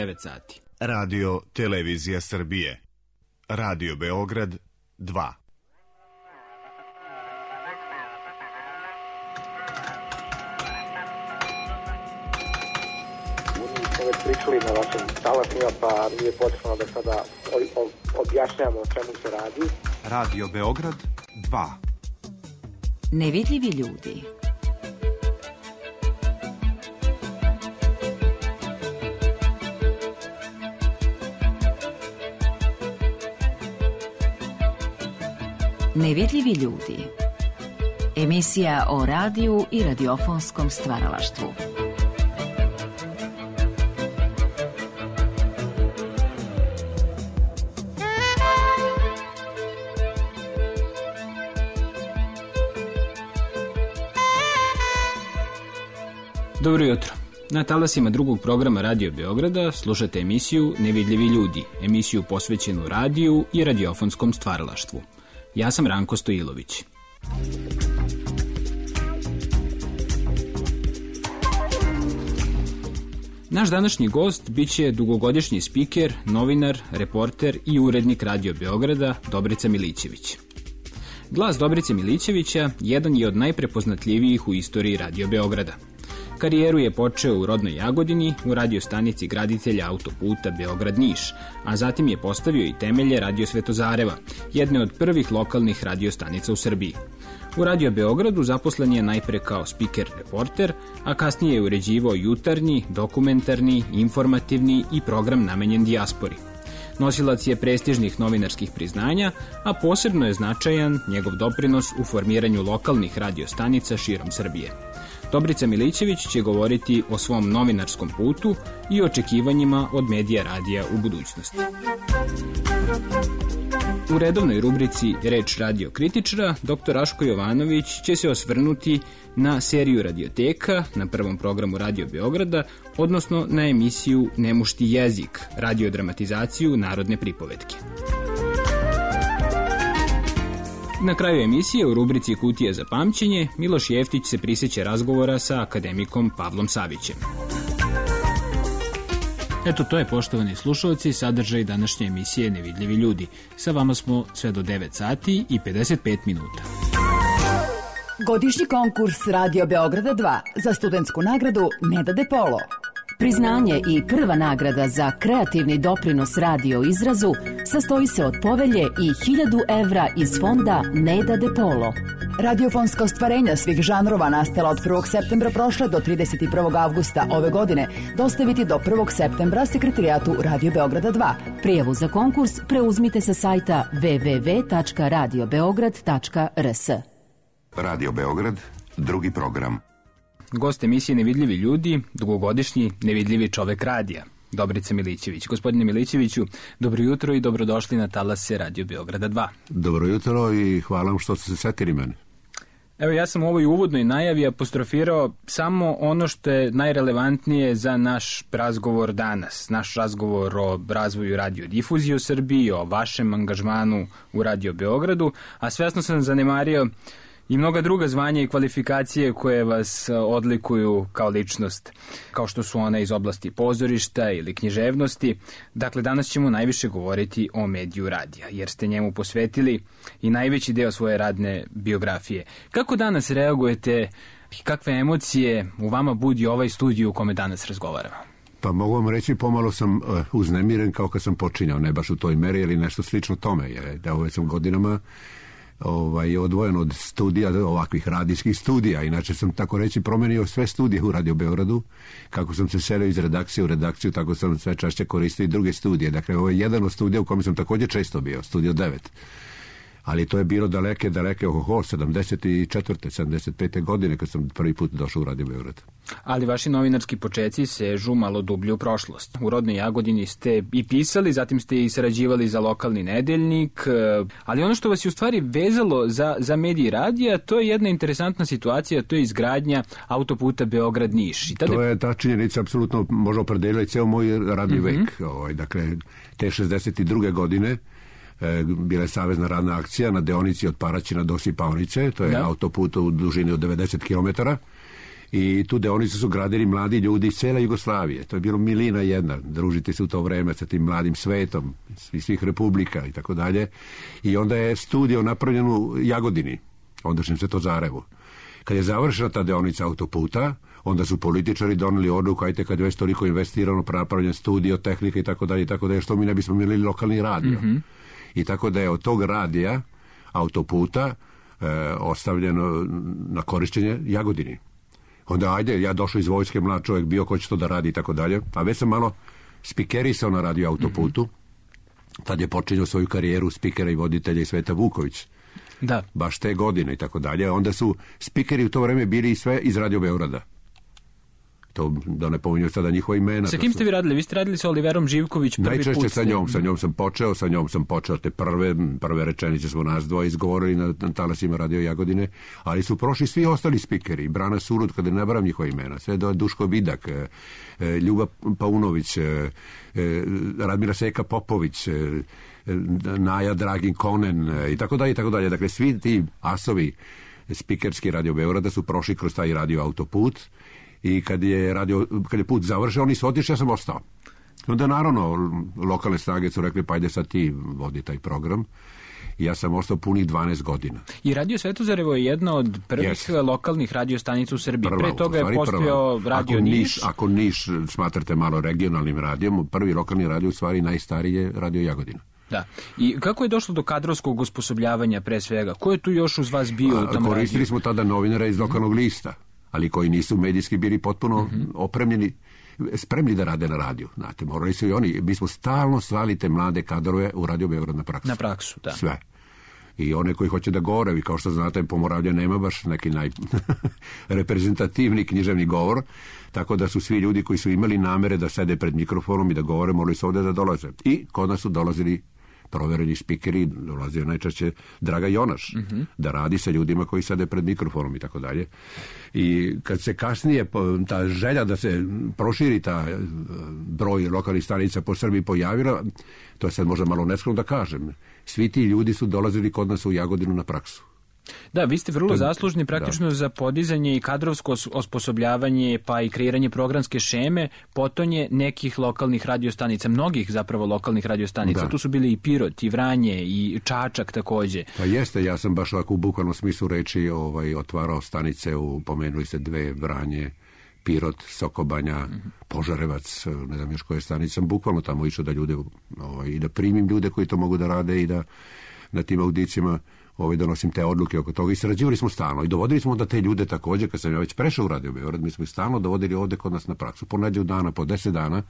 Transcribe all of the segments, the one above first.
9 sati. Radio Televizija Srbije. Radio Beograd 2. Već pričali na vašim talasima, pa nije potrebno da sada objašnjamo o čemu se radi. Radio Beograd 2. Nevidljivi ljudi. Nevidljivi ljudi. Emisija o radiju i radiofonskom stvaralaštvu. Dobro jutro. Na talasima drugog programa Radio Beograda slušate emisiju Nevidljivi ljudi, emisiju posvećenu radiju i radiofonskom stvaralaštvu. Ja sam Ranko Stojilović. Naš današnji gost biće dugogodišnji spiker, novinar, reporter i urednik Radio Beograda Dobrica Milićević. Glas Dobrice Milićevića jedan je od najprepoznatljivijih u istoriji Radio Beograda. Karijeru je počeo u rodnoj Jagodini, u radiostanici graditelja autoputa Beograd-Niš, a zatim je postavio i temelje Radio Svetozareva, jedne od prvih lokalnih radiostanica u Srbiji. U Radio Beogradu zaposlen je najpre kao spiker-reporter, a kasnije je uređivao jutarnji, dokumentarni, informativni i program namenjen dijaspori. Nosilac je prestižnih novinarskih priznanja, a posebno je značajan njegov doprinos u formiranju lokalnih radiostanica širom Srbije. Dobrica Milićević će govoriti o svom novinarskom putu i očekivanjima od medija radija u budućnosti. U redovnoj rubrici Reč radio kritičara, dr. Raško Jovanović će se osvrnuti na seriju radioteka na prvom programu Radio Beograda, odnosno na emisiju Nemušti jezik, radiodramatizaciju narodne pripovetke. Na kraju emisije u rubrici Kutija za pamćenje Miloš Jeftić se prisjeća razgovora sa akademikom Pavlom Savićem. Eto, to je, poštovani slušalci, sadržaj današnje emisije Nevidljivi ljudi. Sa vama smo sve do 9 sati i 55 minuta. Godišnji konkurs Radio Beograda 2 za studentsku nagradu Neda De Polo. Priznanje i prva nagrada za kreativni doprinos radio izrazu sastoji se od povelje i 1000 evra iz fonda Neda De Polo. Radiofonska ostvarenja svih žanrova nastala od 1. septembra prošle do 31. avgusta ove godine dostaviti do 1. septembra sekretarijatu Radio Beograda 2. Prijavu za konkurs preuzmite sa sajta www.radiobeograd.rs. Radio Beograd, drugi program. Gost emisije Nevidljivi ljudi, dugogodišnji nevidljivi čovek radija, Dobrica Milićević. Gospodine Milićeviću, dobro jutro i dobrodošli na talase Radio Beograda 2. Dobro jutro i hvala vam što ste se setili mene. Evo, ja sam u ovoj uvodnoj najavi apostrofirao samo ono što je najrelevantnije za naš razgovor danas. Naš razgovor o razvoju radiodifuzije u Srbiji, o vašem angažmanu u Radio Beogradu, a svesno sam zanemario i mnoga druga zvanja i kvalifikacije koje vas odlikuju kao ličnost, kao što su one iz oblasti pozorišta ili književnosti. Dakle, danas ćemo najviše govoriti o mediju radija, jer ste njemu posvetili i najveći deo svoje radne biografije. Kako danas reagujete i kakve emocije u vama budi ovaj studij u kome danas razgovaramo? Pa mogu vam reći, pomalo sam uznemiren kao kad sam počinjao, ne baš u toj meri, ali nešto slično tome, jer da ove sam godinama je odvojen od studija, ovakvih radijskih studija. Inače sam, tako reći, promenio sve studije u Radio Beogradu. Kako sam se selio iz redakcije u redakciju, tako sam sve češće koristio i druge studije. Dakle, ovo je jedan od studija u kojem sam također često bio, Studio 9. Ali to je bilo daleke, 74. 75. godine kad sam prvi put došao u Radio Beograd. Ali vaši novinarski počeci sežu malo dublje u prošlost. U rodnoj Jagodini ste i pisali, zatim ste i sarađivali za lokalni nedeljnik, ali ono što vas je u stvari vezalo za mediji radija, to je jedna interesantna situacija, to je izgradnja autoputa Beograd-Niš. To je ta činjenica, apsolutno može opredeliti ceo moj radni vek. Dakle, te 62. godine bila je savezna radna akcija na deonici od Paraćina do Sipaonice, to je autoput u dužini od 90 km. I tu deonicu su gradili mladi ljudi iz cele Jugoslavije. To je bilo milina jedna, družiti se u to vreme sa tim mladim svetom, svih republika i tako dalje. I onda je studio napravljen u Jagodini, ondašnjem Svetozarevu. Kad je završena ta deonica autoputa, onda su političari doneli odluku, ajte kad je već toliko investirano, napravljen studio, tehnika i tako dalje, što mi ne bismo imali lokalni radio. I tako da je od tog radija, autoputa, ostavljeno na korišćenje Jagodini. Onda ajde, ja došao iz vojske, mlad čovjek bio, ko će to da radi i tako dalje. A već sam malo spikerisao na radio autoputu. Tad je počinjao svoju karijeru spikera i voditelja i Sveta Vuković. Da. Baš te godine i tako dalje. Onda su spikeri u to vreme bili sve iz Radio Beograda. To da ne pominju sada njihova imena. Sa kim ste vi radili? Vi ste radili sa Oliverom Živković prvi najčešće put? Najčešće sa njom sam počeo te prve rečenice smo nas dvoje izgovorili na talasima Radio Jagodine, ali su prošli svi ostali spikeri, Brana Surud, kada ne nabaram njihova imena, sve do Duško Vidak, Ljuba Paunović, Radmila Seka Popović, Naja Dragin Konen i tako dalje, i tako dalje. Dakle, svi ti asovi spikerski Radio Beograda su prošli kroz taj radio autoput. I kad je put završen, oni su otišli, ja sam ostao. Onda naravno lokalne snage su rekli, pa ajde sad ti vodi taj program. I ja sam ostao punih 12 godina. I Radio Svetozarevo je jedna od prvih lokalnih radiostanica u Srbiji. Pre toga je postojao Radio Niš. Ako Niš smatrate malo regionalnim radijom, prvi lokalni radio u stvari najstariji je Radio Jagodina. Da. I kako je došlo do kadrovskog osposobljavanja pre svega? Ko je tu još uz vas bio u tom radiju? Koristili smo tada novinara iz lokalnog lista, ali koji nisu medijski bili potpuno opremljeni, spremni da rade na radiju. Znate, morali su i oni. Mi smo stalno slali te mlade kadrove u Radio Beograd na praksu. Na praksu, da. Sve. I one koji hoće da govore, kao što znate, Pomoravlja nema baš neki najreprezentativni književni govor, tako da su svi ljudi koji su imali namere da sede pred mikrofonom i da govore, morali su ovde da dolaze. I kod nas su dolazili provereni spikeri, dolazio najčešće Draga Jonaš, da radi sa ljudima koji sede pred mikrofonom i tako dalje. I kad se kasnije ta želja da se proširi ta broj lokalnih stanica po Srbiji pojavila, to je sad možda malo neskromno da kažem, svi ti ljudi su dolazili kod nas u Jagodinu na praksu. Da, vi ste vrlo zaslužni praktično za podizanje i kadrovsko osposobljavanje, pa i kreiranje programske šeme, potonje nekih lokalnih radiostanica, mnogih zapravo lokalnih radiostanica. Da. Tu su bili i Pirot, i Vranje, i Čačak takođe. Pa jeste, ja sam baš ovako u bukvalnom smislu reči otvarao stanice, pomenuli se dve, Vranje, Pirot, Sokobanja, Požarevac, ne znam još koje stanice, sam bukvalno tamo išao da ljude, i da primim ljude koji to mogu da rade i da na tim audicijama donosim te odluke oko toga. I sarađivali smo stalno i dovodili smo onda te ljude takođe, kad sam ja već prešao u Radio Beograd, mi smo ih stalno dovodili ovde kod nas na praksu, po nedelju dana, po 10 dana,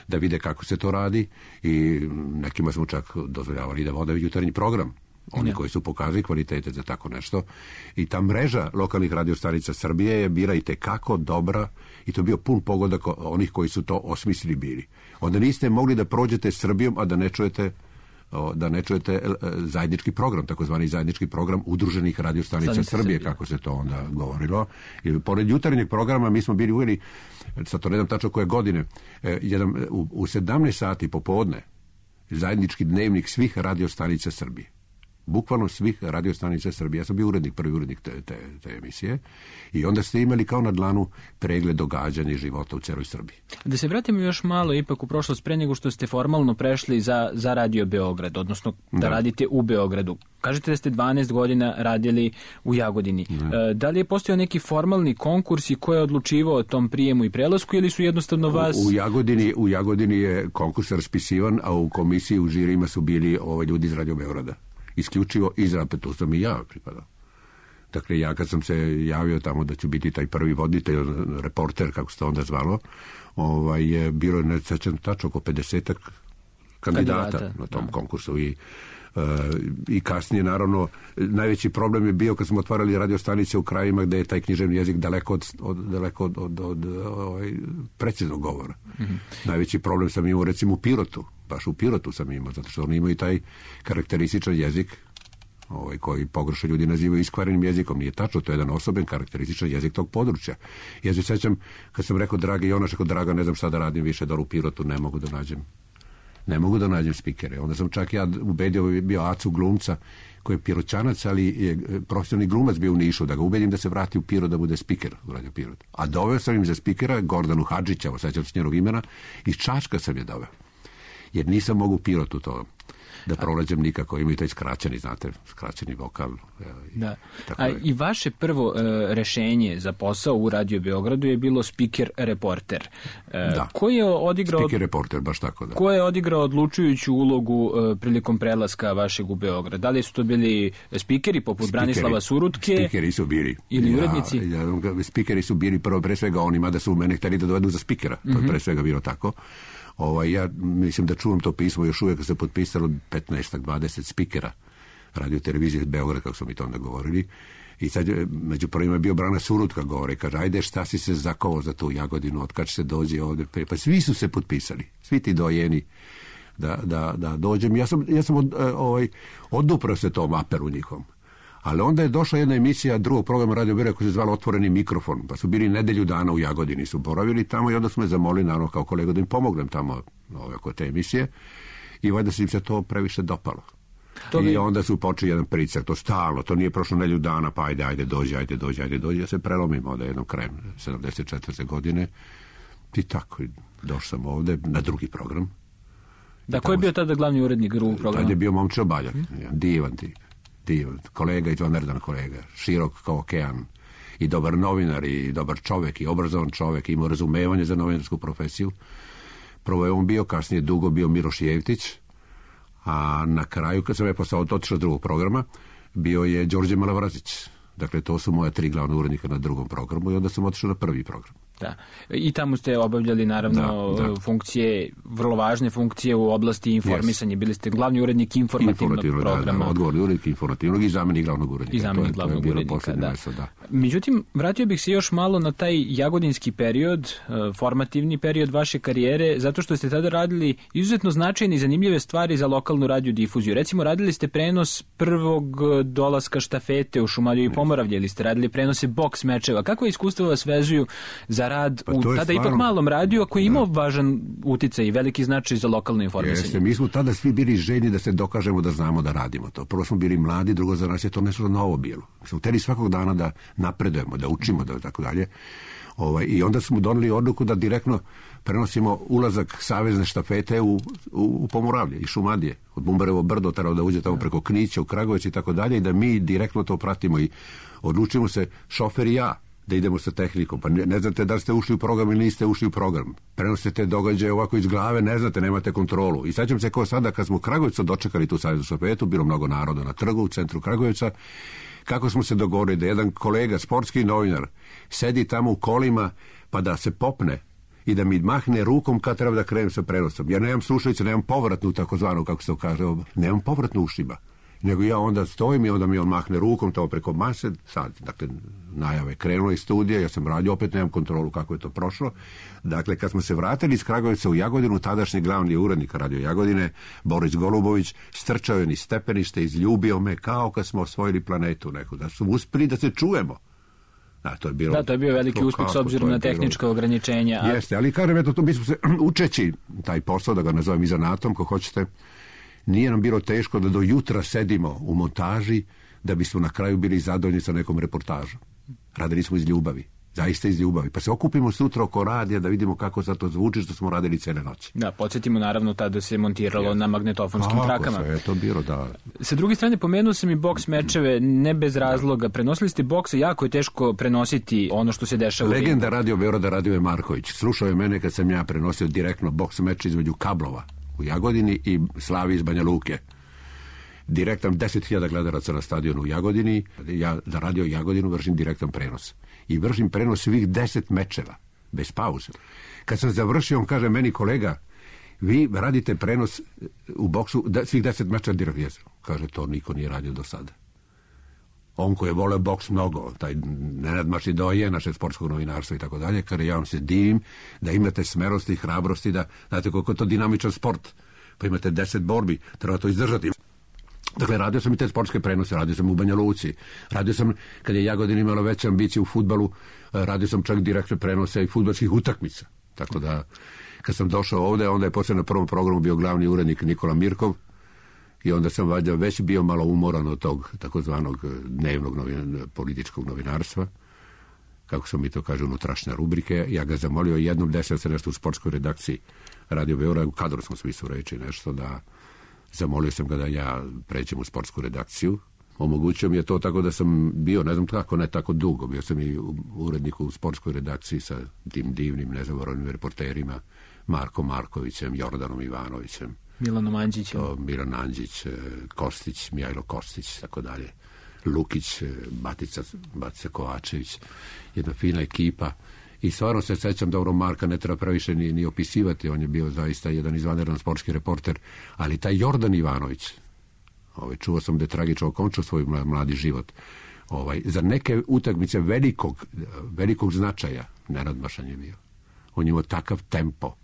da vide kako se to radi i nekima smo čak dozvoljavali da vode jutarnji program. Oni koji su pokazali kvalitete za tako nešto. I ta mreža lokalnih radiostanica Srbije je bila i tekako dobra i to je bio pun pogodak onih koji su to osmislili bili. Onda niste mogli da prođete Srbijom, a da ne čujete zajednički program, takozvani zajednički program udruženih radiostanica Srbije, kako se to onda govorilo. I pored jutarnjeg programa mi smo bili uveli, sad to ne znam tačno koje godine, u 17 sati popodne zajednički dnevnik svih radiostanica Srbije. Bukvalno svih radiostanica Srbije. Ja sam bio prvi urednik te emisije i onda ste imali kao na dlanu pregled događanja i života u celoj Srbiji. Da se vratimo još malo ipak u prošlost pre nego što ste formalno prešli za Radio Beograd, odnosno da radite u Beogradu. Kažete da ste 12 godina radili u Jagodini. Da li je postojao neki formalni konkurs i ko je odlučivao o tom prijemu i prelasku ili su jednostavno vas... U Jagodini je konkurs raspisivan, a u komisiji u žirima su bili ljudi iz Radio Beograda. Isključivo iz tu sam i ja pripadao. Dakle, ja kad sam se javio tamo da ću biti taj prvi voditelj, reporter, kako se to onda zvalo, bilo je, ne sećam tačno, oko 50 kandidata na tom konkursu i kasnije, naravno, najveći problem je bio kad smo otvarali radiostanice u krajima gde je taj književni jezik daleko od preciznog govora. Najveći problem sam imao, recimo, u Pirotu. Baš u Pirotu sam imao, zato što oni imaju taj karakterističan jezik koji pogrešno ljudi nazivaju iskvarenim jezikom. Nije tačno, to je jedan osoben karakterističan jezik tog područja. Ja se sećam, kad sam rekao Dragi Jonaš, rekao Draga, ne znam šta da radim više, da u Pirotu ne mogu da nađem Ne mogu da nađem spikere. Onda sam čak ja ubedio, bio Acu glumca, koji je Piroćanac, ali je profesionalni glumac bio u Nišu, da ga ubedim da se vrati u Pirot da bude spiker u Radio Pirot. A doveo sam im za spikera Gordanu Hadžića, sećam se njenog imena, iz Čačka sam je doveo. Jer nisam mogu u Pirotu to da pronađem nikako, imaju taj skraćeni, znate, skraćeni vokal. Da. I vaše prvo rešenje za posao u Radio Beogradu je bilo speaker-reporter. Da, ko je odigrao, speaker-reporter, baš tako, da. Ko je odigrao odlučujuću ulogu prilikom prelaska vašeg u Beograd? Da li su to bili spikeri poput Branislava Surutke? Spikeri su bili. Ili urednici? Spikeri su bili prvo pre svega onima da su mene hteli da dovedu za spikera. To je pre svega bilo tako. Ja mislim da čuvam to pismo, još uvijek se potpisalo 15-20 spikera radio televizije Beograd, kako smo mi to onda govorili. I sad među prvima je bio Brana Surutka, govore, kaže, ajde, šta si se zakovao za tu Jagodinu, od kad se dođe ovdje. Pa svi su se potpisali, svi ti dojeni da dođem. Ja sam oduprao se tom aperu njihovom. Ali onda je došla jedna emisija drugog programa Radio Beograd koja se zvala Otvoreni mikrofon, pa su bili nedelju dana u Jagodini, su boravili tamo i onda su me zamolili, naravno, kao kolega da im pomognem tamo oko te emisije i valjda se im se to previše dopalo. I onda su počeli jedan pritisak, to stalno, to nije prošlo nedelju dana, pa ajde, dođi. Ja se prelomim onda jednom krajem 74. godine i tako, došao sam ovde na drugi program. Da, ko je bio tada glavni urednik drugog programa? Tada je bio Momčilo Baljak, divan kolega, izvanredan kolega, širok kao okean i dobar novinar i dobar čovek i obrazovan čovek, imao razumevanje za novinarsku profesiju. Prvo je on bio, kasnije dugo bio Miloš Jevtić, a na kraju, kad sam je postao otišao drugog programa, bio je Đorđe Malavrazić. Dakle, to su moja 3 glavna urednika na drugom programu i onda sam otišao na prvi program. Da. I tamo ste obavljali, naravno, funkcije, vrlo važne funkcije u oblasti informisanja. Bili ste glavni urednik informativnog programa. Da, odgovorni urednik informativnog i zamenik glavnog urednika. I zamenik glavnog urednika, da. Međutim, vratio bih se još malo na taj jagodinski period, formativni period vaše karijere, zato što ste tada radili izuzetno značajne i zanimljive stvari za lokalnu radiodifuziju. Recimo, radili ste prenos prvog dolaska štafete u Šumadiju i Pomoravlje, ili ste radili prenose boks mečeva. Kako iskustvo vas vezuju za rad u tada ipak malom radiju, koji je imao važan uticaj i veliki značaj za lokalno informisanje? Jeste, mi smo tada svi bili željni da se dokažemo da znamo da radimo to. Prvo smo bili mladi, drugo za nas je to nešto novo bilo. Mi smo hteli svakog dana da napredujemo, da učimo, da tako dalje. I onda smo doneli odluku da direktno prenosimo ulazak savezne štafete u Pomoravlje i Šumadije. Od Bumbarevo brdo, treba da uđe tamo preko Knića u Kragujevac i tako dalje, i da mi direktno to pratimo i odlučimo se, šofer i ja, da idemo sa tehnikom. Pa ne znate da ste ušli u program ili niste ušli u program. Prenosite događaje ovako iz glave, ne znate, nemate kontrolu. I sećam se kao sada kad smo u Kragujevcu dočekali tu saveznu štafetu, bilo mnogo naroda na trgu u centru Kragujevca, kako smo se dogovorili da jedan kolega, sportski novinar, sedi tamo u kolima pa da se popne i da mi mahne rukom kad treba da krenem sa prenosom. Ja nemam slušalice, nemam povratnu, takozvanu, kako se to kaže, nemam povratnu ušima. Nego ja onda stojim i onda mi on mahne rukom tamo preko mase, sad, dakle, najave krenulo iz studija, ja sam radio, opet nemam kontrolu kako je to prošlo. Dakle, kad smo se vratili iz Kragujevca u Jagodinu, tadašnji glavni urednik Radio Jagodine, Boris Golubović, strčao je niz stepenište, izljubio me kao kad smo osvojili planetu neku, da smo uspeli da se čujemo. To je bilo, to je bio veliki uspeh s obzirom na tehnička ograničenja. Jeste, ali kažem, eto, mi smo se učeći taj posao, da ga nazovem i zanatom, ko hoćete, nije nam bilo teško da do jutra sedimo u montaži da bismo na kraju bili zadovoljni sa nekom reportažom. Radili smo iz ljubavi, zaista iz ljubavi. Pa se okupimo sutra oko radija da vidimo kako sad to zvuči, što smo radili cele noći. Da, podsjetimo, naravno, tada se montiralo na magnetofonskim trakama. Sve je to bilo, da. Sa druge strane, pomenuo sam i boks mečeve, ne bez razloga. Prenosili ste boksa, jako je teško prenositi ono što se dešava. Legenda Radio Beograda Radivoj Marković slušao je mene kad sam ja prenosio direktno boks meč između Kablova u Jagodini i Slavi iz Banja Luke. Direktan 10.000 gledalaca na stadionu u Jagodini. Ja za Radio Jagodinu vršim direktan prenos. I vršim prenos svih 10 mečeva, bez pauze. Kad sam završio, on kaže meni, kolega, vi radite prenos u boksu svih 10 mečeva direktno. Kaže, to niko nije radio do sada. On koji je voleo boks mnogo, taj Nenad Mašidoje, naše sportskog novinarstva i tako dalje, kada ja vam se divim da imate smerosti i hrabrosti, da znate koliko je to dinamičan sport, pa imate 10 borbi, treba to izdržati. Dakle, radio sam i te sportske prenose, radio sam u Banja Luci, radio sam, kad je Jagodina imala veće ambicije u fudbalu, radio sam čak direktne prenose i fudbalskih utakmica. Tako da, kad sam došao ovde, onda je poslije na prvom programu bio glavni urednik Nikola Mirkov i onda sam valjda već bio malo umoran od tog takozvanog dnevnog političkog novinarstva, kako sam mi to kaže, unutrašnje rubrike. Ja ga zamolio jednom, desio se nešto u sportskoj redakciji Radio Beograd, u kadrovskom smislu reći nešto, da zamolio sam ga da ja pređem u sportsku redakciju. Omogućio mi je to tako da sam bio, ne znam kako, ne tako dugo, bio sam i urednik u sportskoj redakciji sa tim divnim, nezaboravnim reporterima, Markom Markovićem, Jordanom Ivanovićem, Milanom Andžićem. Milan Andžić, Kostić, Mijajlo Kostić, tako dalje. Lukić, Batica Kovačević, jedna fina ekipa. I stvarno se sećam dobro, Marka ne treba previše ni opisivati, on je bio zaista jedan izvanredan sportski reporter, ali taj Jordan Ivanović, čuo sam da je tragično okončao svoj mladi život. Za neke utakmice velikog značaja nenadmašan je bio. On je imao takav tempo.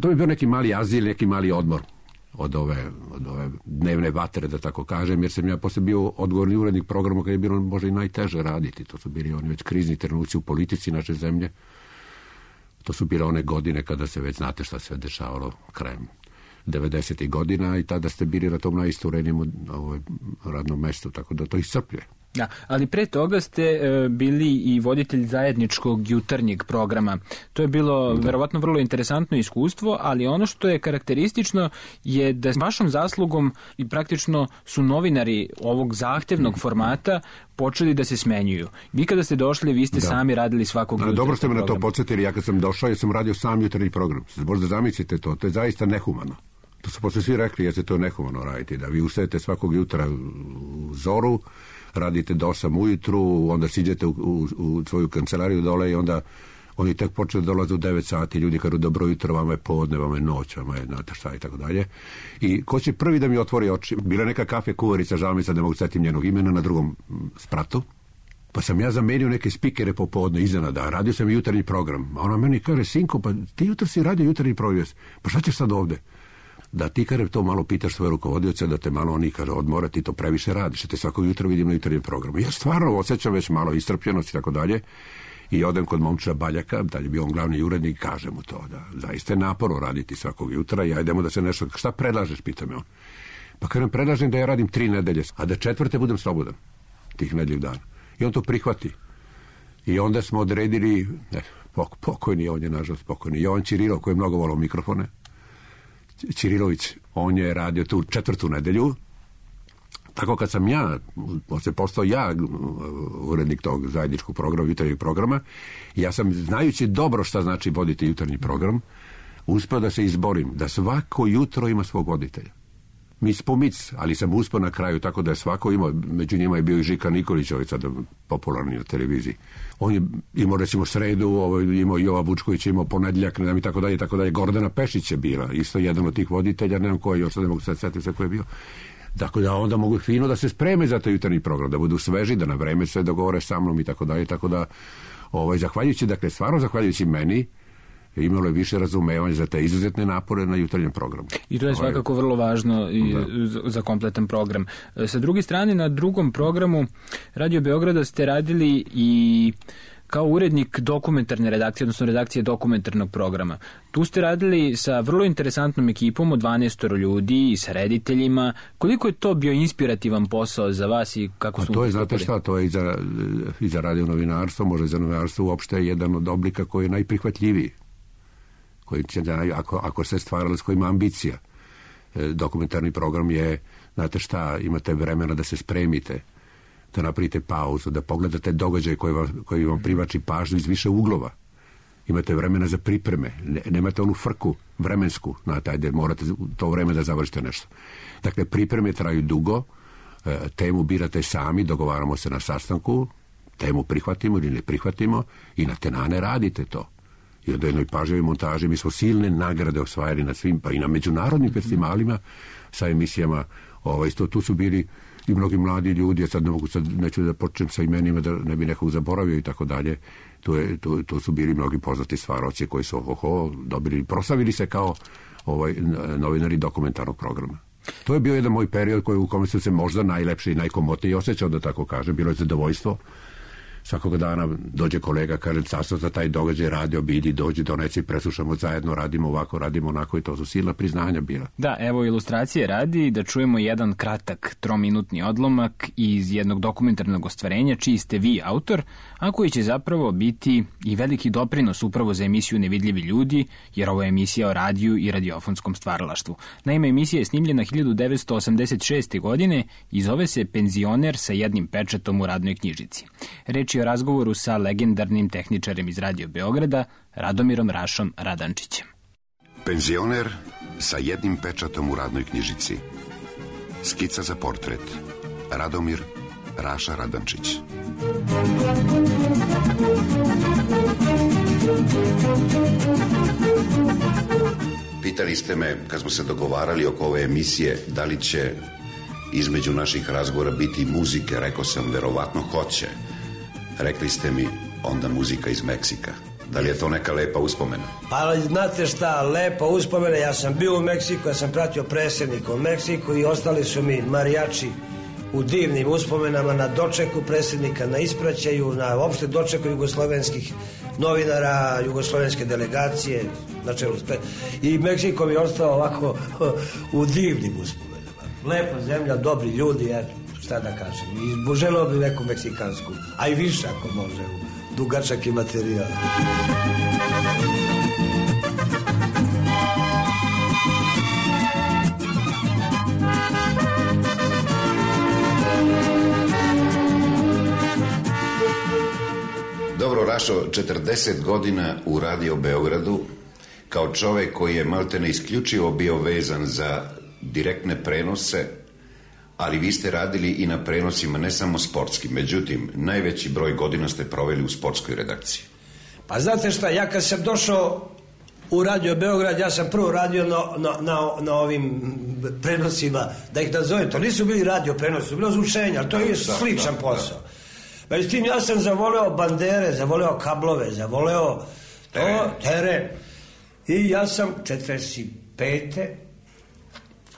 To bi bio neki mali azil, neki mali odmor od ove dnevne vatre, da tako kažem, jer sam ja posle bio odgovorni urednik programa kad je bilo možda i najteže raditi. To su bili oni već krizni trenuci u politici naše zemlje. To su bile one godine kada se već znate šta se dešavalo krajem 90. godina i tada ste bili na tom najisturenijem radnom mestu, tako da to iscrpljuje. Da, ali pre toga ste bili i voditelj zajedničkog jutarnjeg programa. To je bilo verovatno vrlo interesantno iskustvo, ali ono što je karakteristično je da s vašom zaslugom i praktično su novinari ovog zahtevnog formata počeli da se smenjuju. Vi kada ste došli, vi ste sami radili svakog jutarnjeg programa. Dobro ste me na to podsjetili, ja kad sam došao, ja sam radio sam jutarnji program. Možda zamislite to je zaista nehumano. To su posle svi rekli, jer se to nehumano raditi, da vi ustajete svakog jutra u zoru, radite do 8 ujutru, onda siđete u svoju kancelariju dole i onda oni tek počeli da dolaze u 9 sati, ljudi kažu dobro jutro, vama je podne, vama je noć, vama je znate šta i tako dalje. I ko će prvi da mi otvori oči? Bila neka kafe kuvarica, žao mi sad ne mogu setim njenog imena, na drugom spratu. Pa sam ja zamenio neke spikere popodne iznenada, radio sam jutarnji program. A ona meni kaže, sinko, pa ti jutro si radio jutarnji program, pa šta ćeš sad ovde? Da ti kada to malo pitaš svoje rukovodioce, da te malo oni kaže odmora, ti to previše radiš, te svakog jutra vidim na jutarnjem programu. Ja stvarno osjećam već malo iscrpljenost i tako dalje i odem kod momča Baljaka, da je bio on glavni urednik, kaže mu to, da zaista je naporno raditi svakog jutra i ajdemo da se nešto, šta predlažeš, pita me on. Pa kažem, predlažem da ja radim 3 nedelje, a da 4. budem slobodan tih nedelju dana. I on to prihvati. I onda smo odredili, pokojni, on je nažalost pokojni, Jovan Ćirilov, koji je mnogo volao mikrofone, Ćirilović, on je radio tu 4. nedelju. Tako kad sam ja, posle postao ja urednik tog zajedničkog programa, jutarnjeg programa, ja sam, znajući dobro šta znači voditi jutarnji program, uspeo da se izborim, da svako jutro ima svog voditelja. Mic po mic, ali sam uspeo na kraju, tako da je svako imao, među njima je bio i Žika Nikolić, ovaj sada popularni na televiziji. On je imao recimo sredu, imao Jova Vučković, imao ponedjeljak, ne znam i tako dalje, Gordana Pešić je bila, isto jedan od tih voditelja, ne znam koji, još sad ne mogu se setiti sve ko je bio. Tako da onda mogu fino da se spreme za taj jutarnji program, da budu sveži, da na vreme sve dogovore sa mnom i tako dalje, tako da, zahvaljujući, dakle, stvarno zahvaljujući meni, imalo je više razumevanja za te izuzetne napore na jutarnjem programu. I to je svakako vrlo važno i za kompletan program. Sa druge strane, na drugom programu Radio Beograda ste radili i kao urednik dokumentarne redakcije, odnosno redakcije dokumentarnog programa. Tu ste radili sa vrlo interesantnom ekipom od 12 ljudi i sa rediteljima. Koliko je to bio inspirativan posao za vas i kako su... To je, znate šta, to je i za radio novinarstvo, možda i za novinarstvo uopšte jedan od oblika koji je najprihvatljiviji. Koji će, ako se stvarali s kojima ambicija. Dokumentarni program je, znate šta, imate vremena da se spremite, da napravite pauzu, da pogledate događaj koji vam privlači pažnju iz više uglova. Imate vremena za pripreme, nemate onu frku vremensku, znate, ajde, morate to vreme da završite nešto. Dakle, pripreme traju dugo, temu birate sami, dogovaramo se na sastanku, temu prihvatimo ili ne prihvatimo i na tenane radite to. I onda jednoj pažljivoj montaži mi smo silne nagrade osvajali na svim, pa i na međunarodnim festivalima sa emisijama. Tu su bili i mnogi mladi ljudi, ja sad neću da počnem sa imenima da ne bi nekog zaboravio i tako dalje. Tu su bili mnogi poznati stvaroci koji su dobili, proslavili se kao novinari dokumentarnog programa. To je bio jedan moj period u kome sam se možda najlepše i najkomotnije osjećao, da tako kažem. Bilo je zadovoljstvo svakog dana dođe kolega, kaže, sastav za taj događaj radio, bidi, dođi, doneci, preslušamo zajedno, radimo ovako, radimo onako i to su silna priznanja bila. Da, evo ilustracije radi da čujemo jedan kratak 3-minutni odlomak iz jednog dokumentarnog ostvarenja čiji ste vi autor, a koji će zapravo biti i veliki doprinos upravo za emisiju Nevidljivi ljudi, jer ovo je emisija o radiju i radiofonskom stvaralaštvu. Naime, emisija je snimljena 1986. godine i zove se Penzioner sa jednim pečatom u radnoj knjižici. Reč je o razgovoru sa legendarnim tehničarem iz Radio Beograda, Radomirom Rašom Radančićem. Penzioner sa jednim pečatom u radnoj knjižici. Skica za portret. Radomir Raša Radančić. Pitali ste me, kad smo se dogovarali oko ove emisije, da li će između naših razgovora biti muzike. Rekao sam, verovatno hoće. Rekli ste mi, onda muzika iz Meksika. Da li je to neka lepa uspomena? Pa znate šta, lepa uspomena. Ja sam bio u Meksiku, ja sam pratio predsjednika u Meksiku i ostali su mi marijači u divnim uspomenama na dočeku predsjednika, na ispraćaju, na opšte dočeku jugoslovenskih novinara, jugoslovenske delegacije na čelu i Meksiko mi je ostao ovako u divnim uspomenama. Lepa zemlja, dobri ljudi, ja šta da kažem. I želeo bi neku meksikansku, a i više ako može, u dugačak i materijal. Dobro, Rašo, 40 godina u Radio Beogradu, kao čovek koji je maltene isključivo bio vezan za direktne prenose, ali vi ste radili i na prenosima, ne samo sportskim. Međutim, najveći broj godina ste proveli u sportskoj redakciji. Pa znate šta, ja kad sam došao u Radio Beograd, ja sam prvo radio na ovim prenosima, da ih nazovem, to nisu bili radio prenosi, to bilo zvučenje, ali to je sličan posao. Međutim, ja sam zavoleo bandere, zavoleo kablove, zavoleo teren. I ja sam 45.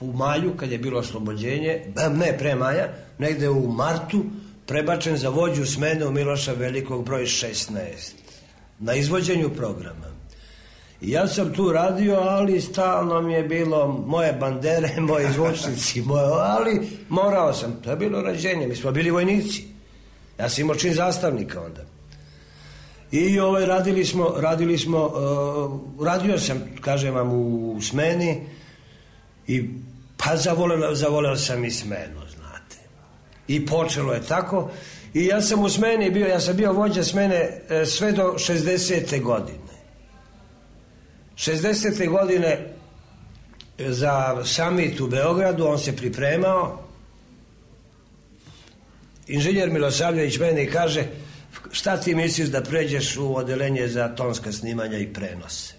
u maju, kad je bilo oslobođenje, ne pre maja, negde u martu, prebačen za vođu smene u Miloša Velikog broj 16, na izvođenju programa. I ja sam tu radio, ali stalno mi je bilo moje bandere, moji zvučnici, ali morao sam, to je bilo rađenje, mi smo bili vojnici. Ja sam imao čin zastavnika onda. I radio sam, kažem vam, u smeni i pa zavoleo sam i smenu, znate. I počelo je tako. I ja sam u smeni bio, ja sam bio vođa smene sve do 60. godine. 60. godine za samit u Beogradu, on se pripremao. Inženjer Milosavljević meni kaže, šta ti misliš da pređeš u odelenje za tonska snimanja i prenose?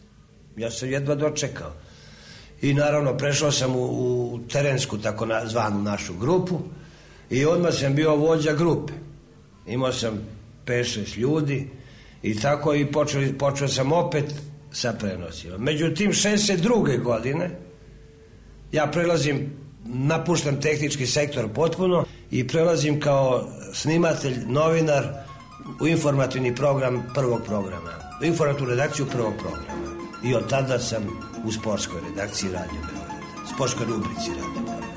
Ja sam jedva dočekao. I naravno prešao sam u terensku, tako zvanu našu grupu, i odmah sam bio vođa grupe. Imao sam 5-6 ljudi i tako i počeo sam opet sa prenosima. Međutim, 62. godine ja napuštam tehnički sektor potpuno i prelazim kao snimatelj, novinar u informativni program prvog programa, u informativnu redakciju prvog programa. I od tada sam u sportskoj redakciji Radio Beograda, sportskoj rubrici Radio Beograda.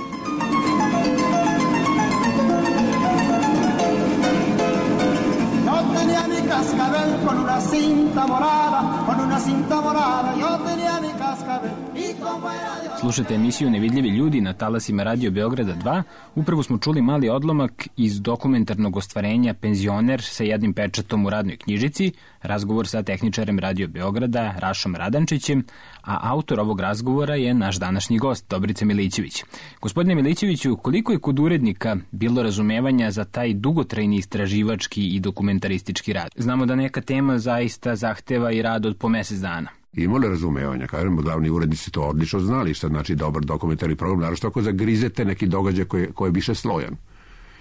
Slušajte emisiju Nevidljivi ljudi na talasima Radio Beograda 2. Upravo smo čuli mali odlomak iz dokumentarnog ostvarenja Penzioner sa jednim pečatom u radnoj knjižici, razgovor sa tehničarem Radio Beograda Rašom Radančićem, a autor ovog razgovora je naš današnji gost, Dobrica Milićević. Gospodine Milićeviću, koliko je kod urednika bilo razumevanja za taj dugotrajni istraživački i dokumentaristički rad? Znamo da neka tema zaista zahteva i rad od po mesec dana. Imalo razumevanja, kažem, glavni urednici to odlično znali šta znači dobar dokumentarni program, naravno ako zagrizete neki događaj koji je više slojan,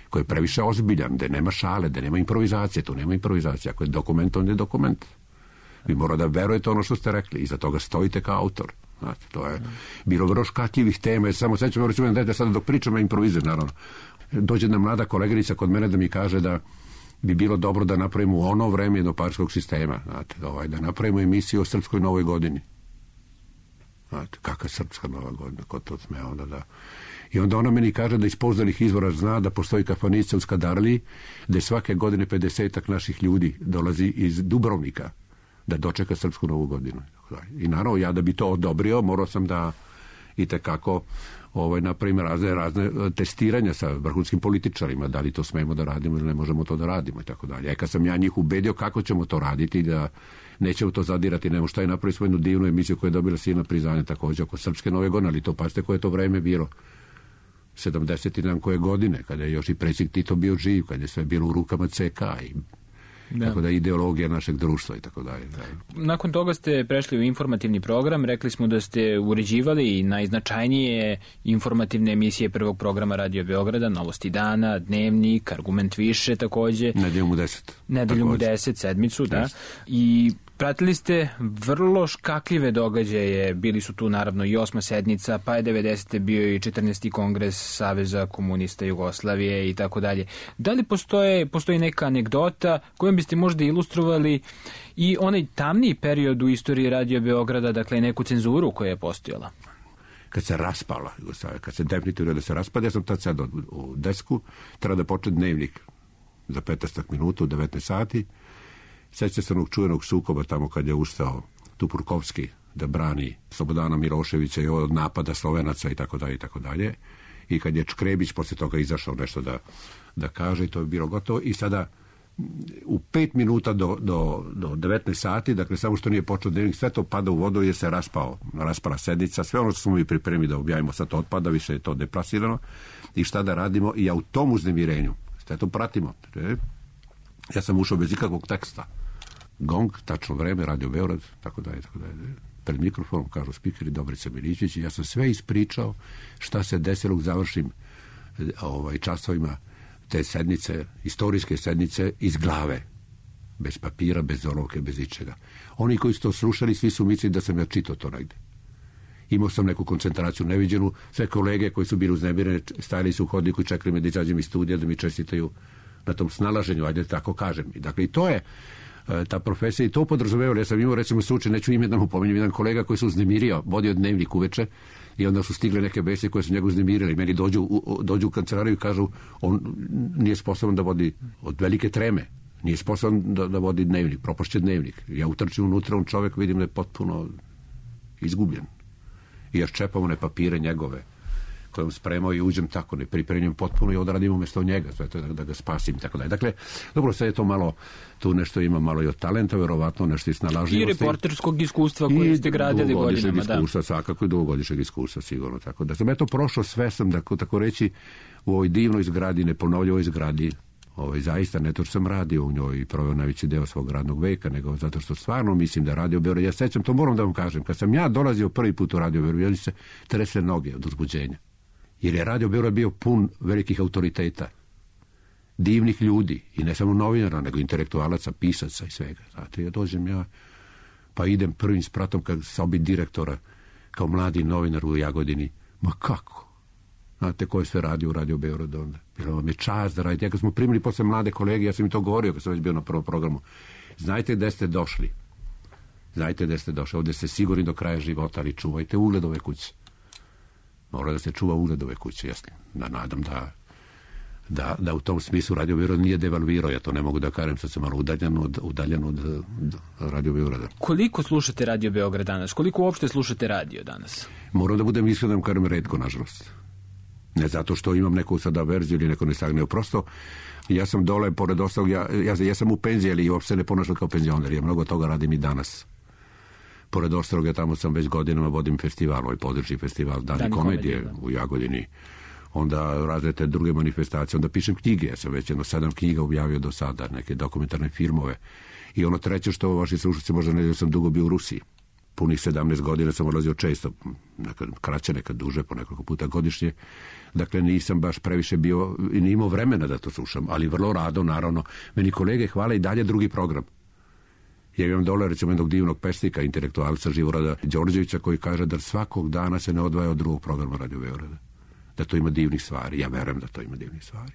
koji je previše ozbiljan, da nema šale, da nema improvizacije, tu nema improvizacije, ako je dokument, onda je dokument. Vi mora da verujete ono što ste rekli, iza toga stojite kao autor. Znate, to je bilo vrlo škakljivih tema, samo sećam, recimo, da sada dok pričam, ja improvizujem, naravno. Dođe jedna mlada koleginica kod mene da mi kaže da bi bilo dobro da napravimo u ono vreme jednopartijskog sistema, znate, da napravimo emisiju o Srpskoj novoj godini. Znate, kakva Srpska nova godina, ko to sme onda da... I onda ona meni kaže da iz pouzdanih izvora zna da postoji kafanica u Skadarliji, da svake godine 50-ak naših ljudi dolazi iz Dubrovnika da dočeka Srpsku novu godinu. I naravno, ja da bi to odobrio, morao sam da itekako napravim razne testiranja sa vrhunskim političarima, da li to smemo da radimo ili ne možemo to da radimo i tako dalje. Kad sam ja njih ubedio kako ćemo to raditi, da nećemo to zadirati, nemo šta je napraviti svoju divnu emisiju koja je dobila silna priznanja također oko Srpske nove godine, ali to pazite koje je to vreme bilo. 70 i nam koje godine, kada je još i predsjednik Tito bio živ, kada je sve bilo u rukama CK i tako da ideologija našeg društva i tako dalje. Nakon toga ste prešli u informativni program, rekli smo da ste uređivali najznačajnije informativne emisije prvog programa Radio Beograda, Novosti dana, Dnevnik, Argument više također. Nedeljom u 10. Nedeljom u 10, sedmicu, da. I pratili ste vrlo škakljive događaje, bili su tu naravno i 8. sednica, pa je 90. bio i 14. kongres Saveza komunista Jugoslavije i tako dalje. Da li postoji neka anegdota kojom biste možda ilustrovali i onaj tamniji period u istoriji Radio Beograda, dakle neku cenzuru koja je postojala? Kad se raspala Jugoslavija, kad se definitivno da se raspada, ja sam tad sad u desku, treba da počne Dnevnik za 15 minuta u 19 sati. Sjeća se onog čuvenog sukoba tamo kad je ustao Tupurkovski da brani Slobodana Miloševića i od napada Slovenaca i tako dalje i tako dalje. I kad je Škrebić posle toga izašao nešto da kaže i to je bilo gotovo. I sada u 5 minuta do 19 sati, dakle samo što nije počeo Dnevnik, sve to pada u vodu jer se raspala sednica. Sve ono što smo mi pripremili da objavimo sad to otpada, više je to deplasirano. I šta da radimo? I ja u tom uznemirenju, sve to pratimo. Ja sam ušao bez ikakvog teksta. Gong, tačno vreme, Radio Beograd, tako dalje. Pred mikrofonom kažu spikeri Dobrica Milićević i ja sam sve ispričao šta se desilo u završnim časovima te sednice, istorijske sednice iz glave. Bez papira, bez olovke, bez ičega. Oni koji su to slušali, svi su mislili da sam ja čitao to negde. Imao sam neku koncentraciju neviđenu. Sve kolege koji su bili uznemirene stajali su u hodniku i čekali me da izađem iz studija da mi čestitaju na tom snalaženju, ajde tako kažem. Dakle, i to je ta profesija i to podrazumevalo. Ja sam imao, recimo, slučaj, neću ime da mu pominjem, jedan kolega koji se uznemirio, vodio Dnevnik uveče i onda su stigle neke vesti koje su njega uznemirile. Meni dođu u kancelariju i kažu, on nije sposoban da vodi od velike treme, nije sposoban da vodi Dnevnik, propašće Dnevnik. Ja utrčim unutra, on čovjek vidim da je potpuno izgubljen. I ja ščepam one papire njegove kojom spremao i uđem tako, ne pripremim potpuno i odradim umjesto njega, sve to da ga spasim i tako dalje. Dakle, dobro, sve je to malo, tu nešto ima malo i od talenta, verovatno nešto i snalažljivosti. I reporterskog iskustva koje ste gradili godinama, da. Iskustva, svakako i dugogodišnjeg iskustva, sigurno. Tako da sam eto prošao sve, sam, tako reći, u ovoj divnoj zgradi, neponovljivoj zgradi, zaista ne to što sam radio u njoj i proveo najveći deo svog radnog veka, nego zato što stvarno mislim da Radio Beograd, ja sećam, to moram da vam kažem, kad sam ja dolazio prvi put u Radio Beograd, ja se tresle noge od uzbuđenja. Jer je Radio Beograd bio pun velikih autoriteta, divnih ljudi, i ne samo novinara, nego intelektualaca, pisaca i svega. Znate, ja dođem pa idem prvim spratom kad sobi direktora, kao mladi novinar u Jagodini. Ma kako? Znate, ko je sve radio u Radio Beograd onda? Bilo vam je čast da radite. Ja kad smo primili posle mlade kolege, ja sam im to govorio kad sam već bio na prvom programu. Znajte gde ste došli. Ovdje ste sigurni do kraja života, ali čuvajte ugled ove kuće. Mora da se čuva ugled ove kuće, jasno. Nadam da u tom smislu Radio Beograd nije devalvirao, ja to ne mogu da kažem, sad sam malo udaljen od Radio Beograda. Koliko slušate Radio Beograd danas? Koliko uopšte slušate radio danas? Moram da budem iskren, da vam kažem retko, nažalost. Ne zato što imam neku sada verziju ili neko ne stagne, prosto ja sam dole, pored ostalog, ja sam u penziji, ali uopšte ne ponašam kao penzioner, ja mnogo toga radim i danas. Pored ostroga, tamo sam već godinama vodim festival, ovaj područni festival Dani komedije u Jagodini. Onda razne te druge manifestacije, onda pišem knjige. Ja sam već 7 knjiga objavio do sada, neke dokumentarne filmove. I ono treće što vaši slušalci možda ne znaju, sam dugo bio u Rusiji. Punih 17 godina sam odlazio često, nekad kraće, nekad duže, po nekoliko puta godišnje. Dakle, nisam baš previše bio i nije imao vremena da to slušam, ali vrlo rado, naravno. Meni kolege hvale i dalje drugi program. Ja imam dole, recimo, jednog divnog pesnika, intelektualca Živorada Đorđevića, koji kaže da svakog dana se ne odvaja od drugog programa Radio Beograda. Da to ima divnih stvari. Ja verujem da to ima divnih stvari.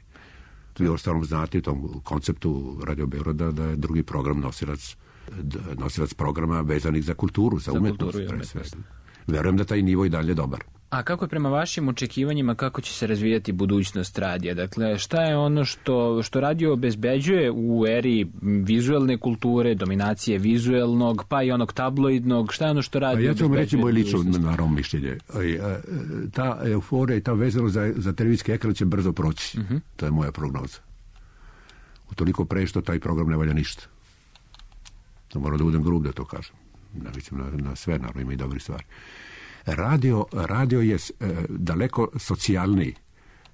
Vi ostalom znate u tom konceptu Radio Beograda da je drugi program nosilac programa vezanih za kulturu, za umetnost. Verujem da taj nivo i dalje dobar. A kako je prema vašim očekivanjima, kako će se razvijati budućnost radija? Dakle, šta je ono što radio obezbeđuje u eri vizuelne kulture, dominacije vizuelnog, pa i onog tabloidnog? Šta je ono što radio obezbeđuje? Ja ću vam reći moj lično naravno mišljenje. Ta euforija i ta vezanost za televizijski ekran će brzo proći. To je moja prognoza. Utoliko pre što taj program ne valja ništa. To moram da budem grub da to kažem. Ne mislim na sve, naravno ima i dobri stvari. Radio je daleko socijalniji.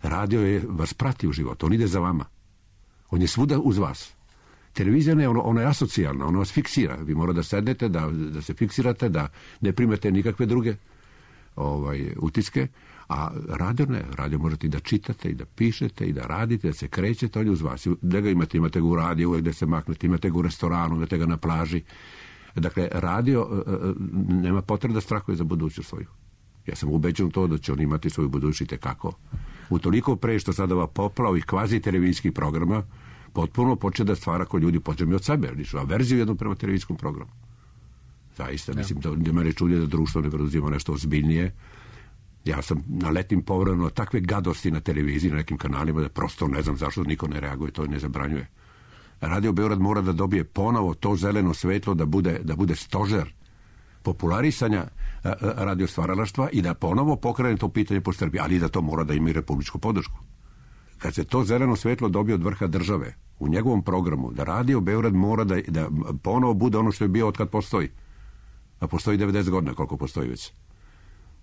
Radio vas prati u životu, on ide za vama. On je svuda uz vas. Televizija ne, ona je asocijalna, ona vas fiksira. Vi morate da sednete, da se fiksirate, da ne primete nikakve druge utiske, a radio ne. Radio možete i da čitate, i da pišete, i da radite, da se krećete, on je uz vas. Da ga imate ga u radiju, uvijek da se maknete, imate ga u restoranu, imate ga na plaži. Dakle, radio nema potrebe da strahuje za budućnost svoju. Ja sam ubeđen u to da će on imati svoju budućnost i tekako. Utoliko pre što sada ova popla ovih kvazi televizijskih programa potpuno počne da stvara ko ljudi počne od sebe. A verziju jednom prema televizijskom programu. Zaista, mislim da mene čudi da društvo ne preduzima nešto ozbiljnije. Ja sam naletim povremeno takve gadosti na televiziji, na nekim kanalima, da prosto ne znam zašto niko ne reaguje, to ne zabranjuje. Radio Beograd mora da dobije ponovo to zeleno svetlo da bude stožer popularisanja radio stvaralaštva i da ponovo pokrene to pitanje po Srbiji, ali da to mora da ima i republičku podršku. Kad se to zeleno svetlo dobije od vrha države u njegovom programu, da Radio Beograd mora da ponovo bude ono što je bio od kad postoji. A postoji 90 godina koliko postoji već.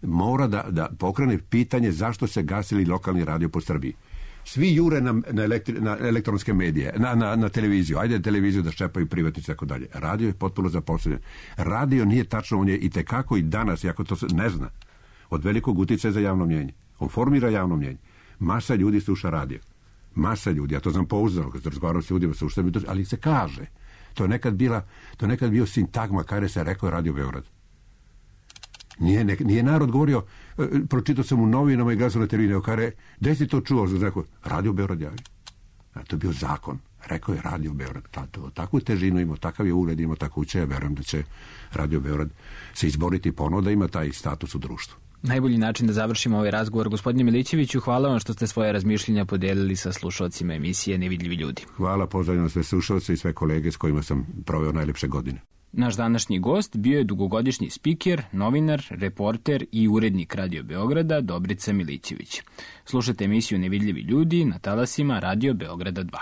Mora da pokrene pitanje zašto se gasili lokalni radio po Srbiji. Svi jure na elektronske medije, na televiziju. Ajde televiziju da ščepaju privatnici i tako dalje. Radio je potpuno zaposlenjen. Radio nije tačno, on je i tekako i danas, iako to se ne zna, od velikog uticaja za javno mnjenje. On formira javno mnjenje. Masa ljudi sluša radio. Masa ljudi, ja to znam pouzdano, kad se razgovaram s ljudima, ali se kaže. To je nekad bio sintagma kada se rekao Radio Beograd. Nije narod govorio, pročitao sam u novinama i gledao na televiziji, kaže, gde si to čuo? Rekao, Radio Beograd javi. To je bio zakon. Rekao je Radio Beograd. Takvu težinu ima, takav je ugled, ima tako uče, ja verujem da će Radio Beograd se izboriti ponovo da ima taj status u društvu. Najbolji način da završimo ovaj razgovor. Gospodine Milićeviću, hvala vam što ste svoje razmišljenja podelili sa slušalcima emisije Nevidljivi ljudi. Hvala, pozdravljam sve slušalce i sve kolege s kojima sam proveo najlepše godine. Naš današnji gost bio je dugogodišnji spiker, novinar, reporter i urednik Radio Beograda Dobrica Milićević. Slušajte emisiju Nevidljivi ljudi na talasima Radio Beograda 2.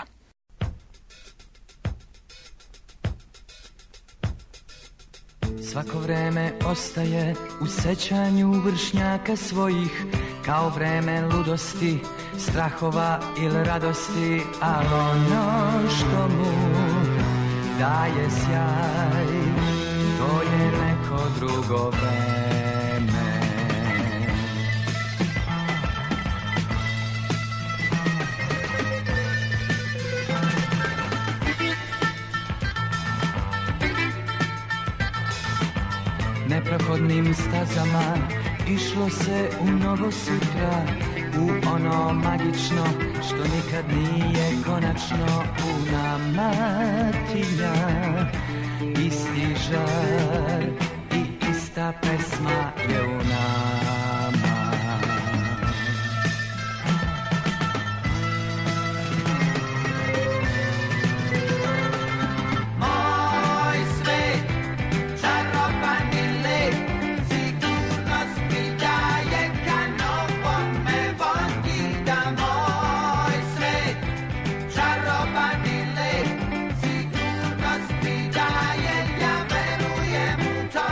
Svako vreme ostaje u sećanju vršnjaka svojih, kao vreme ludosti, strahova ili radosti, ali ono što mu daje sjaj, to je neko drugo vreme. Neprohodnim stazama išlo se u novo sutra, u ono magično što nikad nije konačno. U nama tinja isti žar i ista pesma je u nama. Moj svet, čarobani let, sigurnost mi daje kanopom me vodi da moj svet, čarobani let, sigurnost mi daje, ja verujem u to.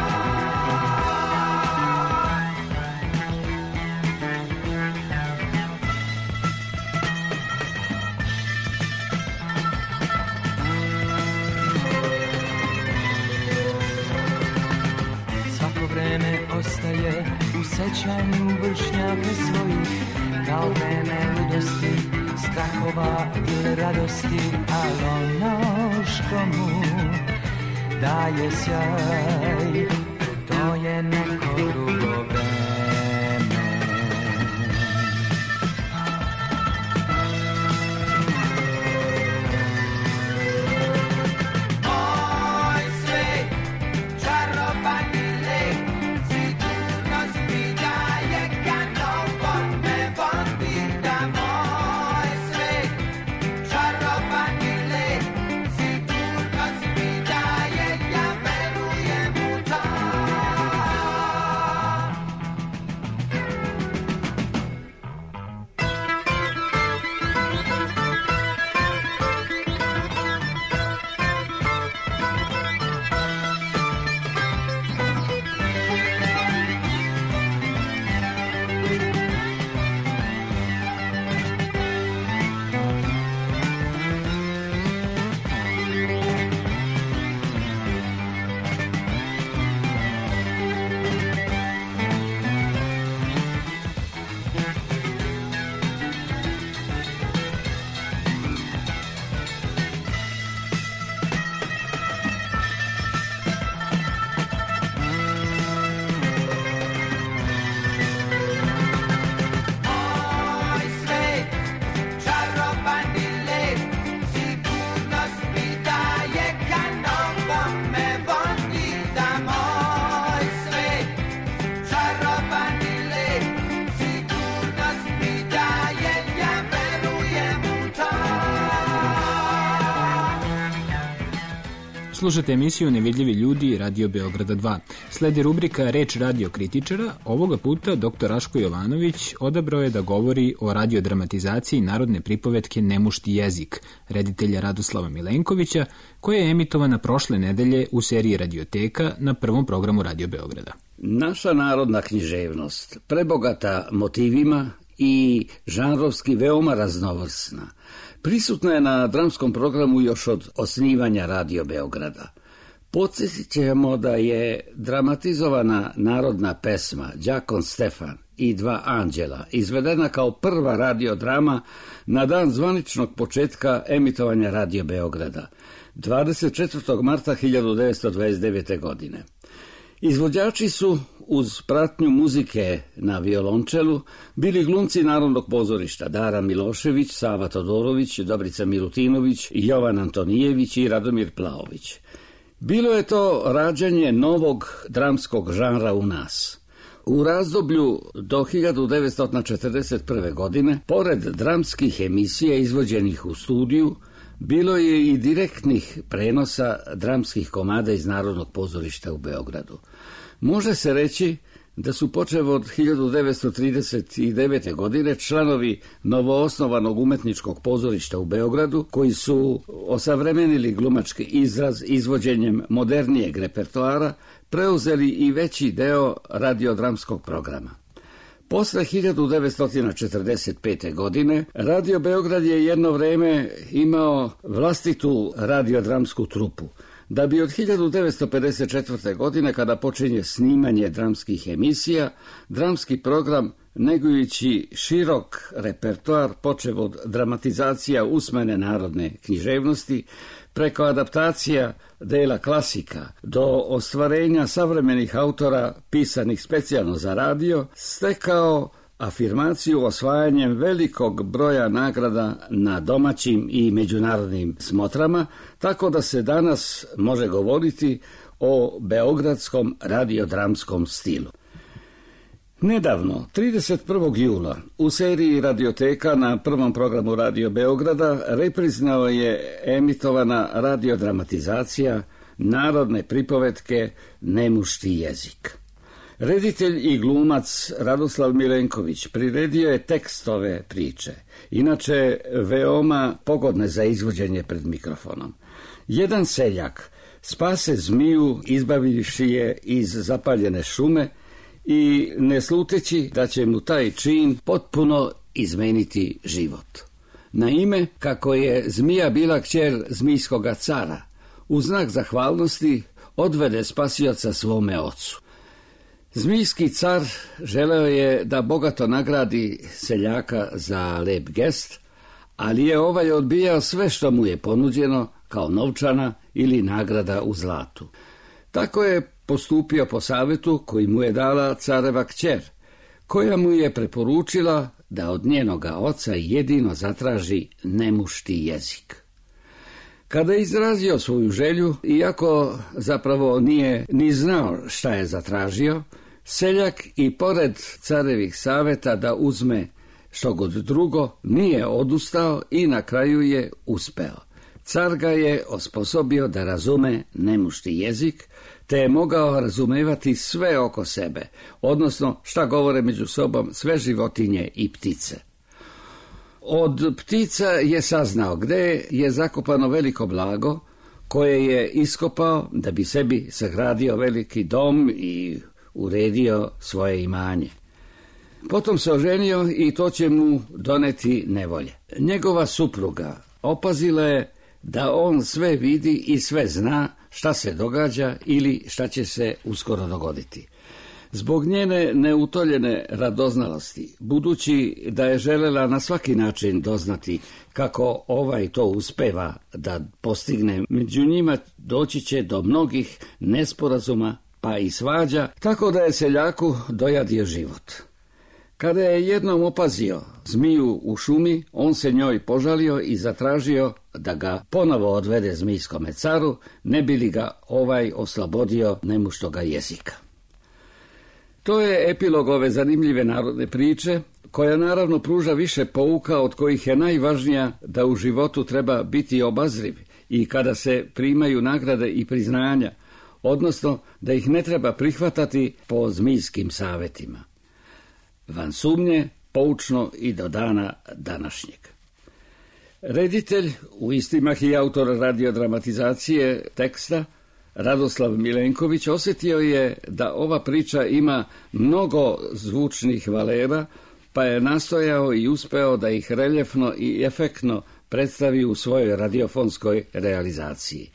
Svako vreme ostaje u sećanju vršnjaka svojih, kao vreme ludosti, strahova ili radosti, ali ono što mu daje sjaj, to je neko drugo vreme. Slušate emisiju Nevidljivi ljudi Radio Beograda 2. Sledi rubrika Reč radio kritičara. Ovoga puta dr. Raško Jovanović odabrao je da govori o radiodramatizaciji narodne pripovetke Nemušti jezik, reditelja Radoslava Milenkovića, koja je emitovana prošle nedelje u seriji Radioteka na prvom programu Radio Beograda. Naša narodna književnost, prebogata motivima i žanrovski veoma raznovrsna, prisutna je na dramskom programu još od osnivanja Radio Beograda. Podsjetit ćemo da je dramatizovana narodna pesma Đakon Stefan i dva anđela izvedena kao prva radiodrama na dan zvaničnog početka emitovanja Radio Beograda, 24. marta 1929. godine. Izvođači su, uz pratnju muzike na violončelu, bili glumci Narodnog pozorišta Dara Milošević, Sava Todorović, Dobrica Milutinović, Jovan Antonijević i Radomir Plaović. Bilo je to rađanje novog dramskog žanra u nas. U razdoblju do 1941. godine, pored dramskih emisija izvođenih u studiju, bilo je i direktnih prenosa dramskih komada iz Narodnog pozorišta u Beogradu. Može se reći da su počev od 1939. godine članovi novoosnovanog umetničkog pozorišta u Beogradu, koji su osavremenili glumački izraz izvođenjem modernijeg repertoara, preuzeli i veći deo radiodramskog programa. Posle 1945. godine Radio Beograd je jedno vreme imao vlastitu radiodramsku trupu, da bi od 1954. godine, kada počinje snimanje dramskih emisija, dramski program, negujući širok repertoar, počev od dramatizacija usmene narodne književnosti, preko adaptacija dela klasika do ostvarenja savremenih autora pisanih specijalno za radio, stekao afirmaciju osvajanjem velikog broja nagrada na domaćim i međunarodnim smotrama, tako da se danas može govoriti o beogradskom radiodramskom stilu. Nedavno, 31. jula, u seriji Radioteka na prvom programu Radio Beograda repriznao je emitovana radiodramatizacija narodne pripovetke Nemušti jezik. Reditelj i glumac Radoslav Milenković priredio je tekst ove priče, inače veoma pogodne za izvođenje pred mikrofonom. Jedan seljak spase zmiju izbavivši je iz zapaljene šume i ne sluteći da će mu taj čin potpuno izmeniti život. Naime, kako je zmija bila kćer zmijskoga cara, u znak zahvalnosti odvede spasioca svome ocu. Zmijski car želeo je da bogato nagradi seljaka za lep gest, ali je ovaj odbijao sve što mu je ponuđeno kao novčana ili nagrada u zlatu. Tako je postupio po savjetu koji mu je dala careva kćer, koja mu je preporučila da od njenoga oca jedino zatraži nemušti jezik. Kada je izrazio svoju želju, iako zapravo nije ni znao šta je zatražio, seljak i pored carevih savjeta da uzme što god drugo, nije odustao i na kraju je uspeo. Car ga je osposobio da razume nemušti jezik, te je mogao razumevati sve oko sebe, odnosno šta govore među sobom sve životinje i ptice. Od ptica je saznao gde je zakopano veliko blago, koje je iskopao da bi sebi sagradio veliki dom i uredio svoje imanje. Potom se oženio i to će mu doneti nevolje. Njegova supruga opazila je da on sve vidi i sve zna šta se događa ili šta će se uskoro dogoditi. Zbog njene neutoljene radoznalosti, budući da je želela na svaki način doznati kako ovaj to uspeva da postigne, među njima doći će do mnogih nesporazuma pa i svađa, tako da je seljaku dojadio život. Kada je jednom opazio zmiju u šumi, on se njoj požalio i zatražio da ga ponovo odvede zmijskome caru, ne bi li ga ovaj oslobodio nemuštoga jezika. To je epilog ove zanimljive narodne priče, koja naravno pruža više pouka, od kojih je najvažnija da u životu treba biti obazriv i kada se primaju nagrade i priznanja, odnosno da ih ne treba prihvatati po zmijskim savjetima. Van sumnje, poučno i do dana današnjeg. Reditelj, u istimah i autor radiodramatizacije teksta, Radoslav Milenković, osjetio je da ova priča ima mnogo zvučnih valera, pa je nastojao i uspeo da ih reljefno i efektno predstavi u svojoj radiofonskoj realizaciji.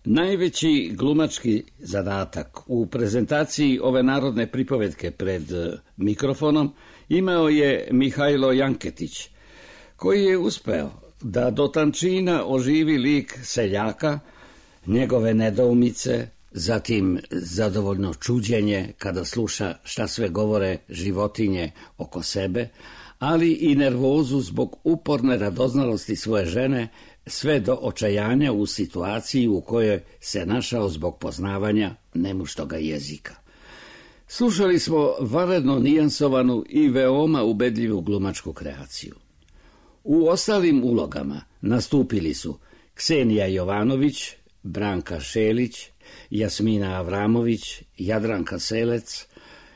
Najveći glumački zadatak u prezentaciji ove narodne pripovetke pred mikrofonom imao je Mihajlo Janketić, koji je uspeo da do tančina oživi lik seljaka, njegove nedoumice, zatim zadovoljno čuđenje kada sluša šta sve govore životinje oko sebe, ali i nervozu zbog uporne radoznalosti svoje žene, sve do očajanja u situaciji u kojoj se našao zbog poznavanja nemuštoga jezika. Slušali smo vanredno nijansovanu i veoma ubedljivu glumačku kreaciju. U ostalim ulogama nastupili su Ksenija Jovanović, Branka Šelić, Jasmina Avramović, Jadranka Selec,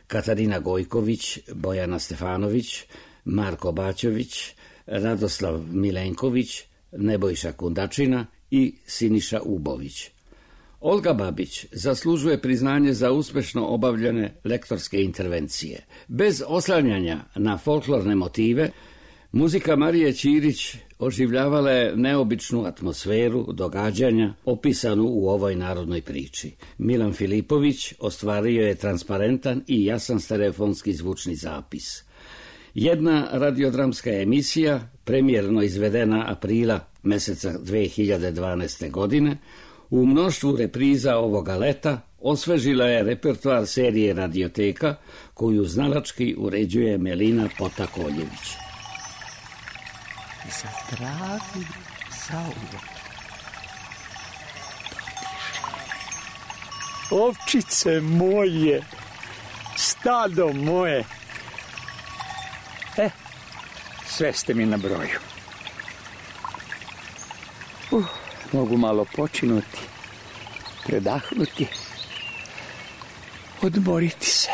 Katarina Gojković, Bojana Stefanović, Marko Baćović, Radoslav Milenković, Nebojša Kundačina i Siniša Ubović. Olga Babić zaslužuje priznanje za uspešno obavljene lektorske intervencije. Bez oslanjanja na folklorne motive, muzika Marije Ćirić oživljavala je neobičnu atmosferu događanja opisanu u ovoj narodnoj priči. Milan Filipović ostvario je transparentan i jasan stereofonski zvučni zapis. Jedna radiodramska emisija, premijerno izvedena aprila meseca 2012. godine, u mnoštvu repriza ovoga leta osvežila je repertoar serije Radioteka, koju znalački uređuje Melina Potakoljević. Zatravi zauvek. Ovčice moje, stado moje. Sve ste mi na broju. Mogu malo počinuti, predahnuti, odmoriti se.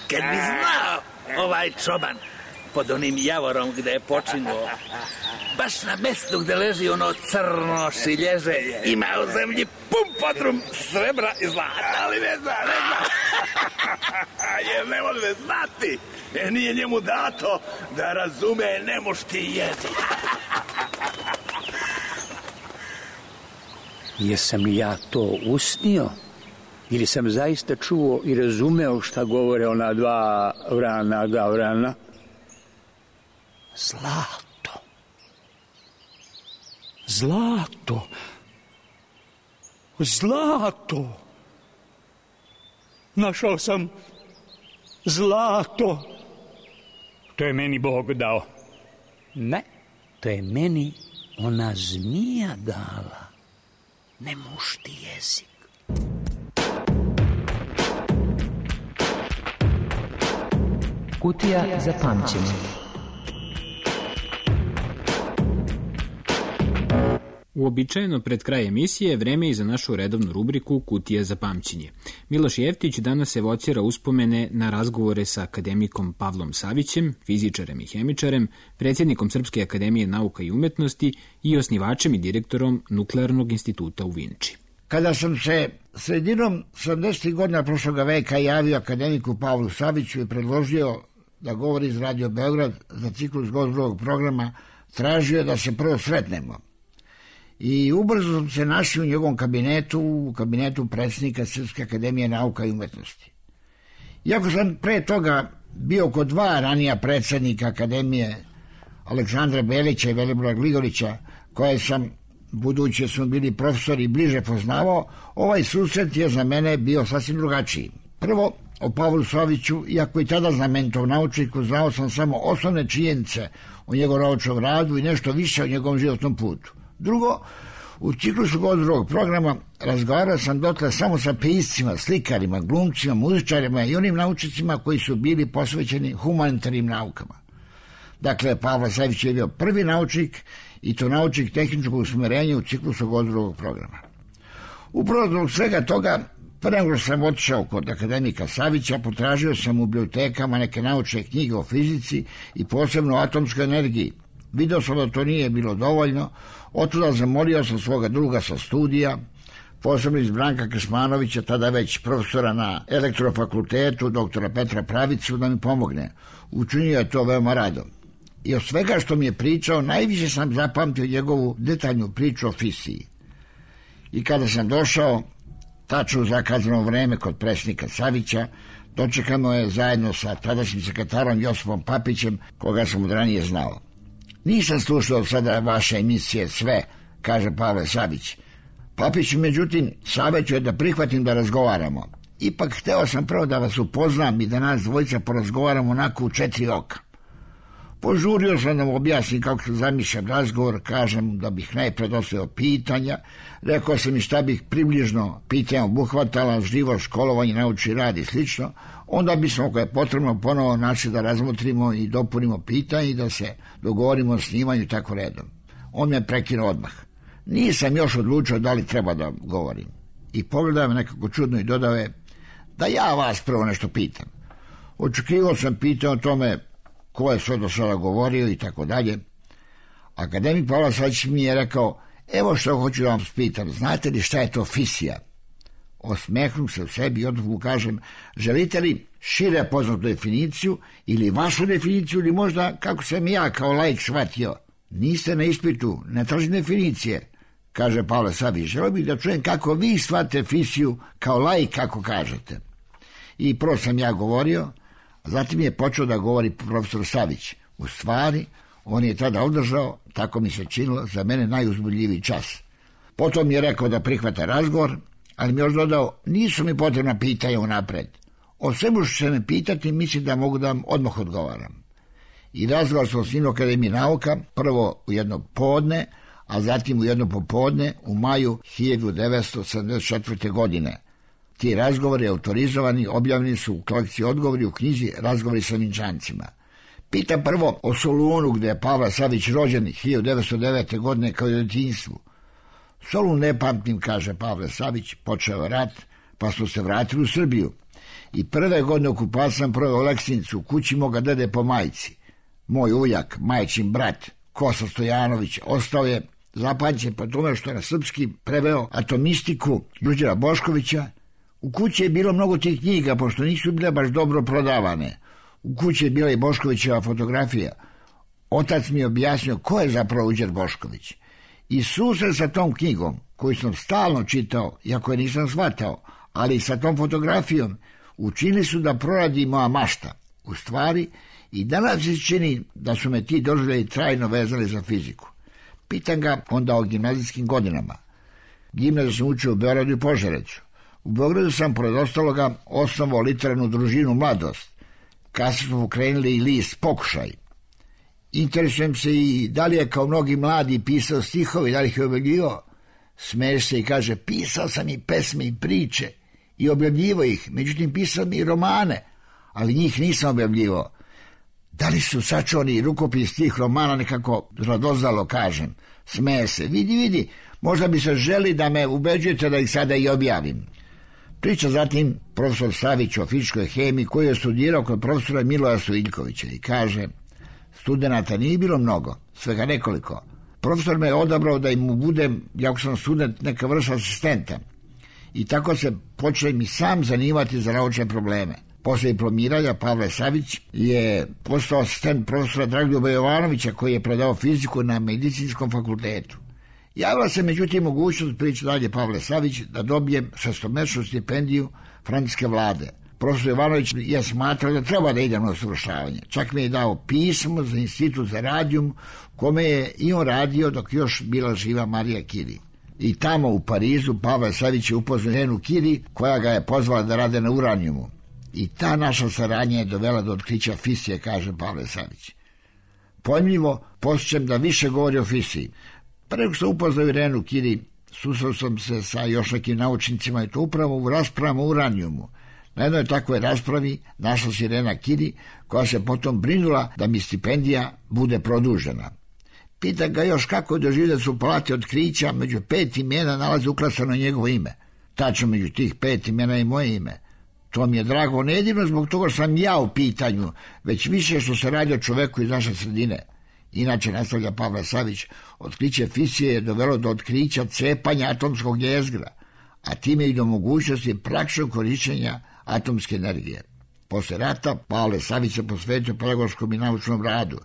Kad bi znao ovaj čoban pod onim javorom gde je počinuo, baš na mestu gde leži ono crno šilježe, ima u zemlji pun podrum srebra i zlata. Ali ne zna. Jer ne može znati. Nije njemu dato da razume nemušti jezik. Jesam li ja to usnio? Ili sam zaista čuo i razumeo šta govore ona dva vrana? Zlato. Našao sam zlato. To je meni Bog dao. Ne, to je meni ona zmija dala. Nemušti jezik. Kutija za pamćenje. Uobičajeno pred kraj emisije vreme je za našu redovnu rubriku Kutija za pamćenje. Miloš Jeftić danas evocira uspomene na razgovore sa akademikom Pavlom Savićem, fizičarem i hemičarem, predsjednikom Srpske akademije nauka i umetnosti i osnivačem i direktorom Nuklearnog instituta u Vinči. Kada sam se sredinom 70. godina prošlog veka javio akademiku Pavlu Saviću i predložio da govori iz Radio Beograd za ciklus gozdrovog programa, tražio da se prvo sretnemo. I ubrzo sam se našli u njegovom kabinetu, u kabinetu predsjednika Srpske akademije nauka i umetnosti. Iako sam pre toga bio kod dva ranija predsjednika akademije, Aleksandra Belića i Velibora Gligorića, koje sam, budući smo bili profesori, bliže poznavao, ovaj susret je za mene bio sasvim drugačiji. Prvo, o Pavlu Saviću, iako i tada znamenitog naučniku, znao sam samo osnovne činjenice o njegovom naučnom radu i nešto više o njegovom životnom putu. Drugo, U ciklusu drugog programa razgovarao sam dotle samo sa piscima, slikarima, glumcima, muzičarima i onim naučnicima koji su bili posvećeni humanitarnim naukama. Dakle, Pavle Savić je bio prvi naučnik i to naučnik tehničkog usmerenja u ciklusu drugog programa. Upravo zbog svega toga, pre nego što sam otišao kod akademika Savića, potražio sam u bibliotekama neke naučne knjige o fizici i posebno o atomskoj energiji. Video sam da to nije bilo dovoljno, otuda zamolio sam svoga druga sa studija, posebno iz Branka Krsmanovića, tada već profesora na elektrofakultetu, doktora Petra Pravicu, da mi pomogne. Učinio je to veoma rado. I od svega što mi je pričao, najviše sam zapamtio njegovu detaljnu priču o fisiji. I kada sam došao, tačno u zakazano vreme kod predsjednika Savića, dočekano je zajedno sa tadašnjim sekretarom Josipom Papićem, koga sam od ranije znao. Nisam slušao sada vaše emisije sve, kaže Pavle Savić. Papić, međutim, savjećuje da prihvatim da razgovaramo. Ipak hteo sam prvo da vas upoznam i da nas dvojica porazgovaramo onako u 4 oka. Požurio sam da mu objasnim kako se zamišljam razgovor, kažem da bih najpred ostavio pitanja, rekao sam i šta bih približno pitanja obuhvatala, živo školovanje, naučni rad i slično, onda bismo, ako je potrebno, ponovo našli da razmotrimo i dopunimo pitanje i da se dogovorimo o snimanju i tako redom. On me prekinuo odmah. Nisam još odlučio da li treba da govorim. I pogledao me nekako čudno i dodao je da ja vas prvo nešto pitam. Očekivao sam pitanje o tome ko je sve do sada govorio i tako dalje. Akademik Pavle Savić mi je rekao, evo što hoću da vam spitam, znate li šta je to fisija? Osmehnu se u sebi i odmah mu kažem, želite li šire poznatu definiciju ili vašu definiciju ili možda kako sam ja kao laik shvatio? Niste na ispitu, ne tražim definicije, kaže Pavle Savić. Želio bih da čujem kako vi shvatite fisiju kao laik, kako kažete. I prvo sam ja govorio, a zatim je počeo da govori profesor Savić. U stvari, on je tada održao, tako mi se činilo, za mene najuzbudljiviji čas. Potom je rekao da prihvata razgovor, ali mi je još dodao, nisu mi potrebna pitanja unapred. O svemu što će me pitati, mislim da mogu da vam odmah odgovaram. I razgovor sam s njim u Akademiji nauka, prvo u jedno podne, a zatim u jedno popodne u maju 1974. godine. Ti razgovori autorizovani, objavljeni su u kolekciji odgovori u knjizi Razgovori sa Vinčancima. Pitam prvo o Solunu, gde je Pavle Savić rođen 1909. godine kao i u djetinjstvu. Solun ne pamtim, kaže Pavle Savić, počeo rat, pa smo se vratili u Srbiju. I prve godine okupacije sam proveo u Leksinicu, u kući moga dede po majci. Moj ujak, majčin brat, Kosta Stojanović, ostao je zapamćen po tome što je na srpski preveo atomistiku Đurđera Boškovića. U kući je bilo mnogo tih knjiga, pošto nisu bile baš dobro prodavane. U kući je bila i Boškovićeva fotografija. Otac mi je objasnio ko je zapravo Đurđer Bošković. I susret sa tom knjigom, koju sam stalno čitao, iako je nisam shvatao, ali sa tom fotografijom, učinili su da proradi moja mašta. U stvari, i danas se čini da su me ti doživljaji trajno vezali za fiziku. Pitam ga onda o gimnazijskim godinama. Gimnaziju sam učio u Beogradu i Požarecu. U Beogradu sam, pored ostaloga, osnovao literarnu družinu Mladost. Kasnije smo pokrenuli i list Pokušaj. Interesujem se i da li je kao mnogi mladi pisao stihovi, da li ih je objavljivao. Smeje se i kaže, pisao sam i pesme i priče i objavljivao ih, međutim pisao mi i romane, ali njih nisam objavljivao. Da li su sačuvani rukopis tih romana, nekako radoznalo kažem. Smeje se, vidi, možda bi se želi da me ubeđujete da ih sada i objavim. Priča zatim profesor Savić o fizičkoj hemiji koji je studirao kod profesora Miloja Stojiljkovića i kaže, studenata nije bilo mnogo, svega nekoliko. Profesor me je odabrao da im budem, jako sam student, neka vrsta asistenta. I tako se počnem i sam zanimati za naučne probleme. Posle diplomiranja Pavle Savić je postao asistent profesora Dragoljuba Jovanovića koji je predao fiziku na Medicinskom fakultetu. Javila se međutim mogućnost, priča dalje Pavle Savić, da dobijem 6-mesečnu stipendiju francuske vlade. Profesor Jovanović je smatrao da treba da idem na usavršavanje. Čak mi je dao pismo za institut za radijum, kome je i on radio dok još bila živa Marija Curie. I tamo u Parizu Pavle Savić je upoznao ženu Curie koja ga je pozvala da rade na uranijumu. I ta naša saradnja je dovela do otkrića fisije, kaže Pavle Savić. Pojmljivo, posjećam da više govori o fisiji. Preko sam upoznao Irenu Kiri, susreo sam se sa još nekim naučnicima i to upravo u raspravama o uranijumu. Na jednoj takvoj raspravi našla se Irena Kiri, koja se potom brinula da mi stipendija bude produžena. Pita ga još kako je doživio da su u palati otkrića među 5 imena nalazi uklasano njegovo ime. Tačno među tih 5 imena i moje ime. To mi je drago ne jedino zbog toga što sam ja u pitanju, već više što se radi o čoveku iz naše sredine. Inače, nastavlja Pavle Savić, otkriće fisije je dovelo do otkrića cepanja atomskog jezgra, a time i do mogućnosti praktičnog korišćenja atomske energije. Posle rata Pavle Savić se posvetio pedagoškom i naučnom radu.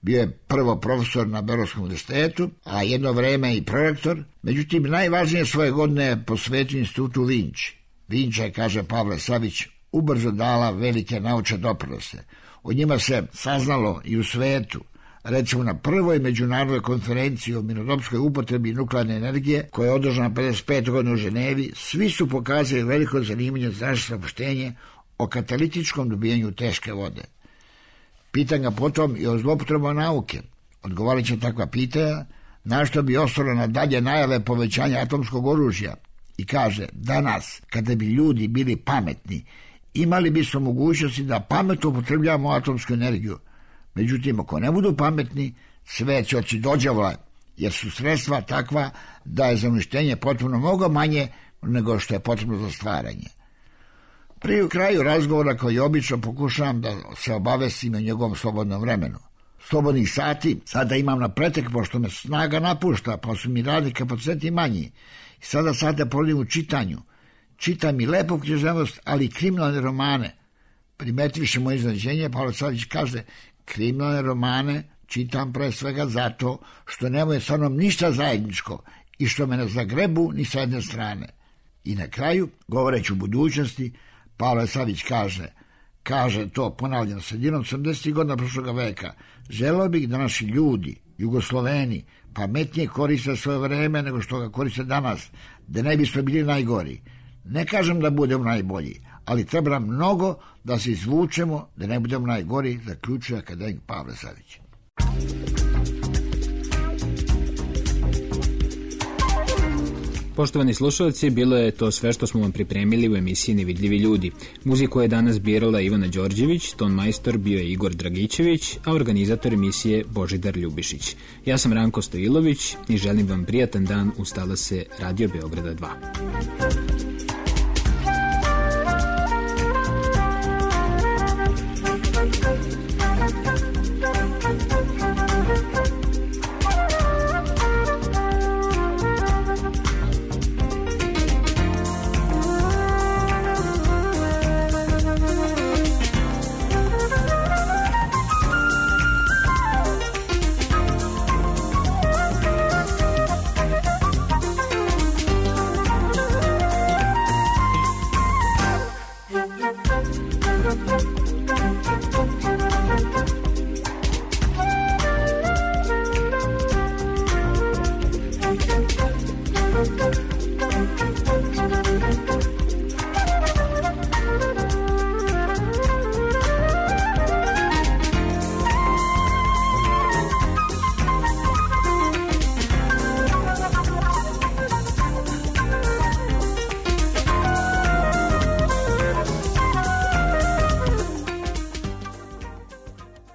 Bio je prvo profesor na Beogradskom univerzitetu, a jedno vreme i prorektor. Međutim, najvažnije svoje godine je posvetio institutu Vinči. Vinča je, kaže Pavle Savić, ubrzo dala velike naučne doprinose. O njima se saznalo i u svetu. Recimo na prvoj međunarodnoj konferenciji o mirnodopskoj upotrebi nuklearne energije, koja je održana 55. godine u Ženevi, svi su pokazali veliko zanimanje za naše saopštenje o katalitičkom dobijanju teške vode. Pitan ga potom i o zloupotrebama nauke. Odgovarat će takva pitanja, na što bi ostalo na dalje najave povećanja atomskog oružja. I kaže, danas, kada bi ljudi bili pametni, imali bismo mogućnosti da pametno upotrebljavamo atomsku energiju. Međutim, ako ne budu pametni, sve će oći dođavla, jer su sredstva takva da je za uništenje potrebno mnogo manje nego što je potrebno za stvaranje. Pri kraju razgovora, koji obično pokušavam da se obavestim o njegovom slobodnom vremenu. Slobodnih sati sada imam na pretek, pošto me snaga napušta, pa su mi radni kapaciteti manji. I sada sate provodim u čitanju. Čitam i lepu književnost, ali i kriminalne romane. Primetivši moje iznenađenje, Pavle Savić kaže, kriminalne romane čitam pre svega zato što nemaju sa mnom ništa zajedničko i što me ne zagrebu ni sa jedne strane. I na kraju, govoreći u budućnosti, Pavle Savić kaže to, ponavljam, sredinom 80. godina prošlog veka, želeo bih da naši ljudi, Jugosloveni, pametnije koriste svoje vreme nego što ga koriste danas, da ne bismo bili najgori. Ne kažem da budemo najbolji, ali treba mnogo da se izvučemo, da ne budemo najgori, zaključuje akademik Pavle Savić. Poštovani slušalci, bilo je to sve što smo vam pripremili u emisiji Nevidljivi ljudi. Muziku je danas birala Ivana Đorđević, ton majstor bio je Igor Dragićević, a organizator emisije Božidar Ljubišić. Ja sam Ranko Stojilović i želim vam prijatan dan uz talase Radio Beograda 2.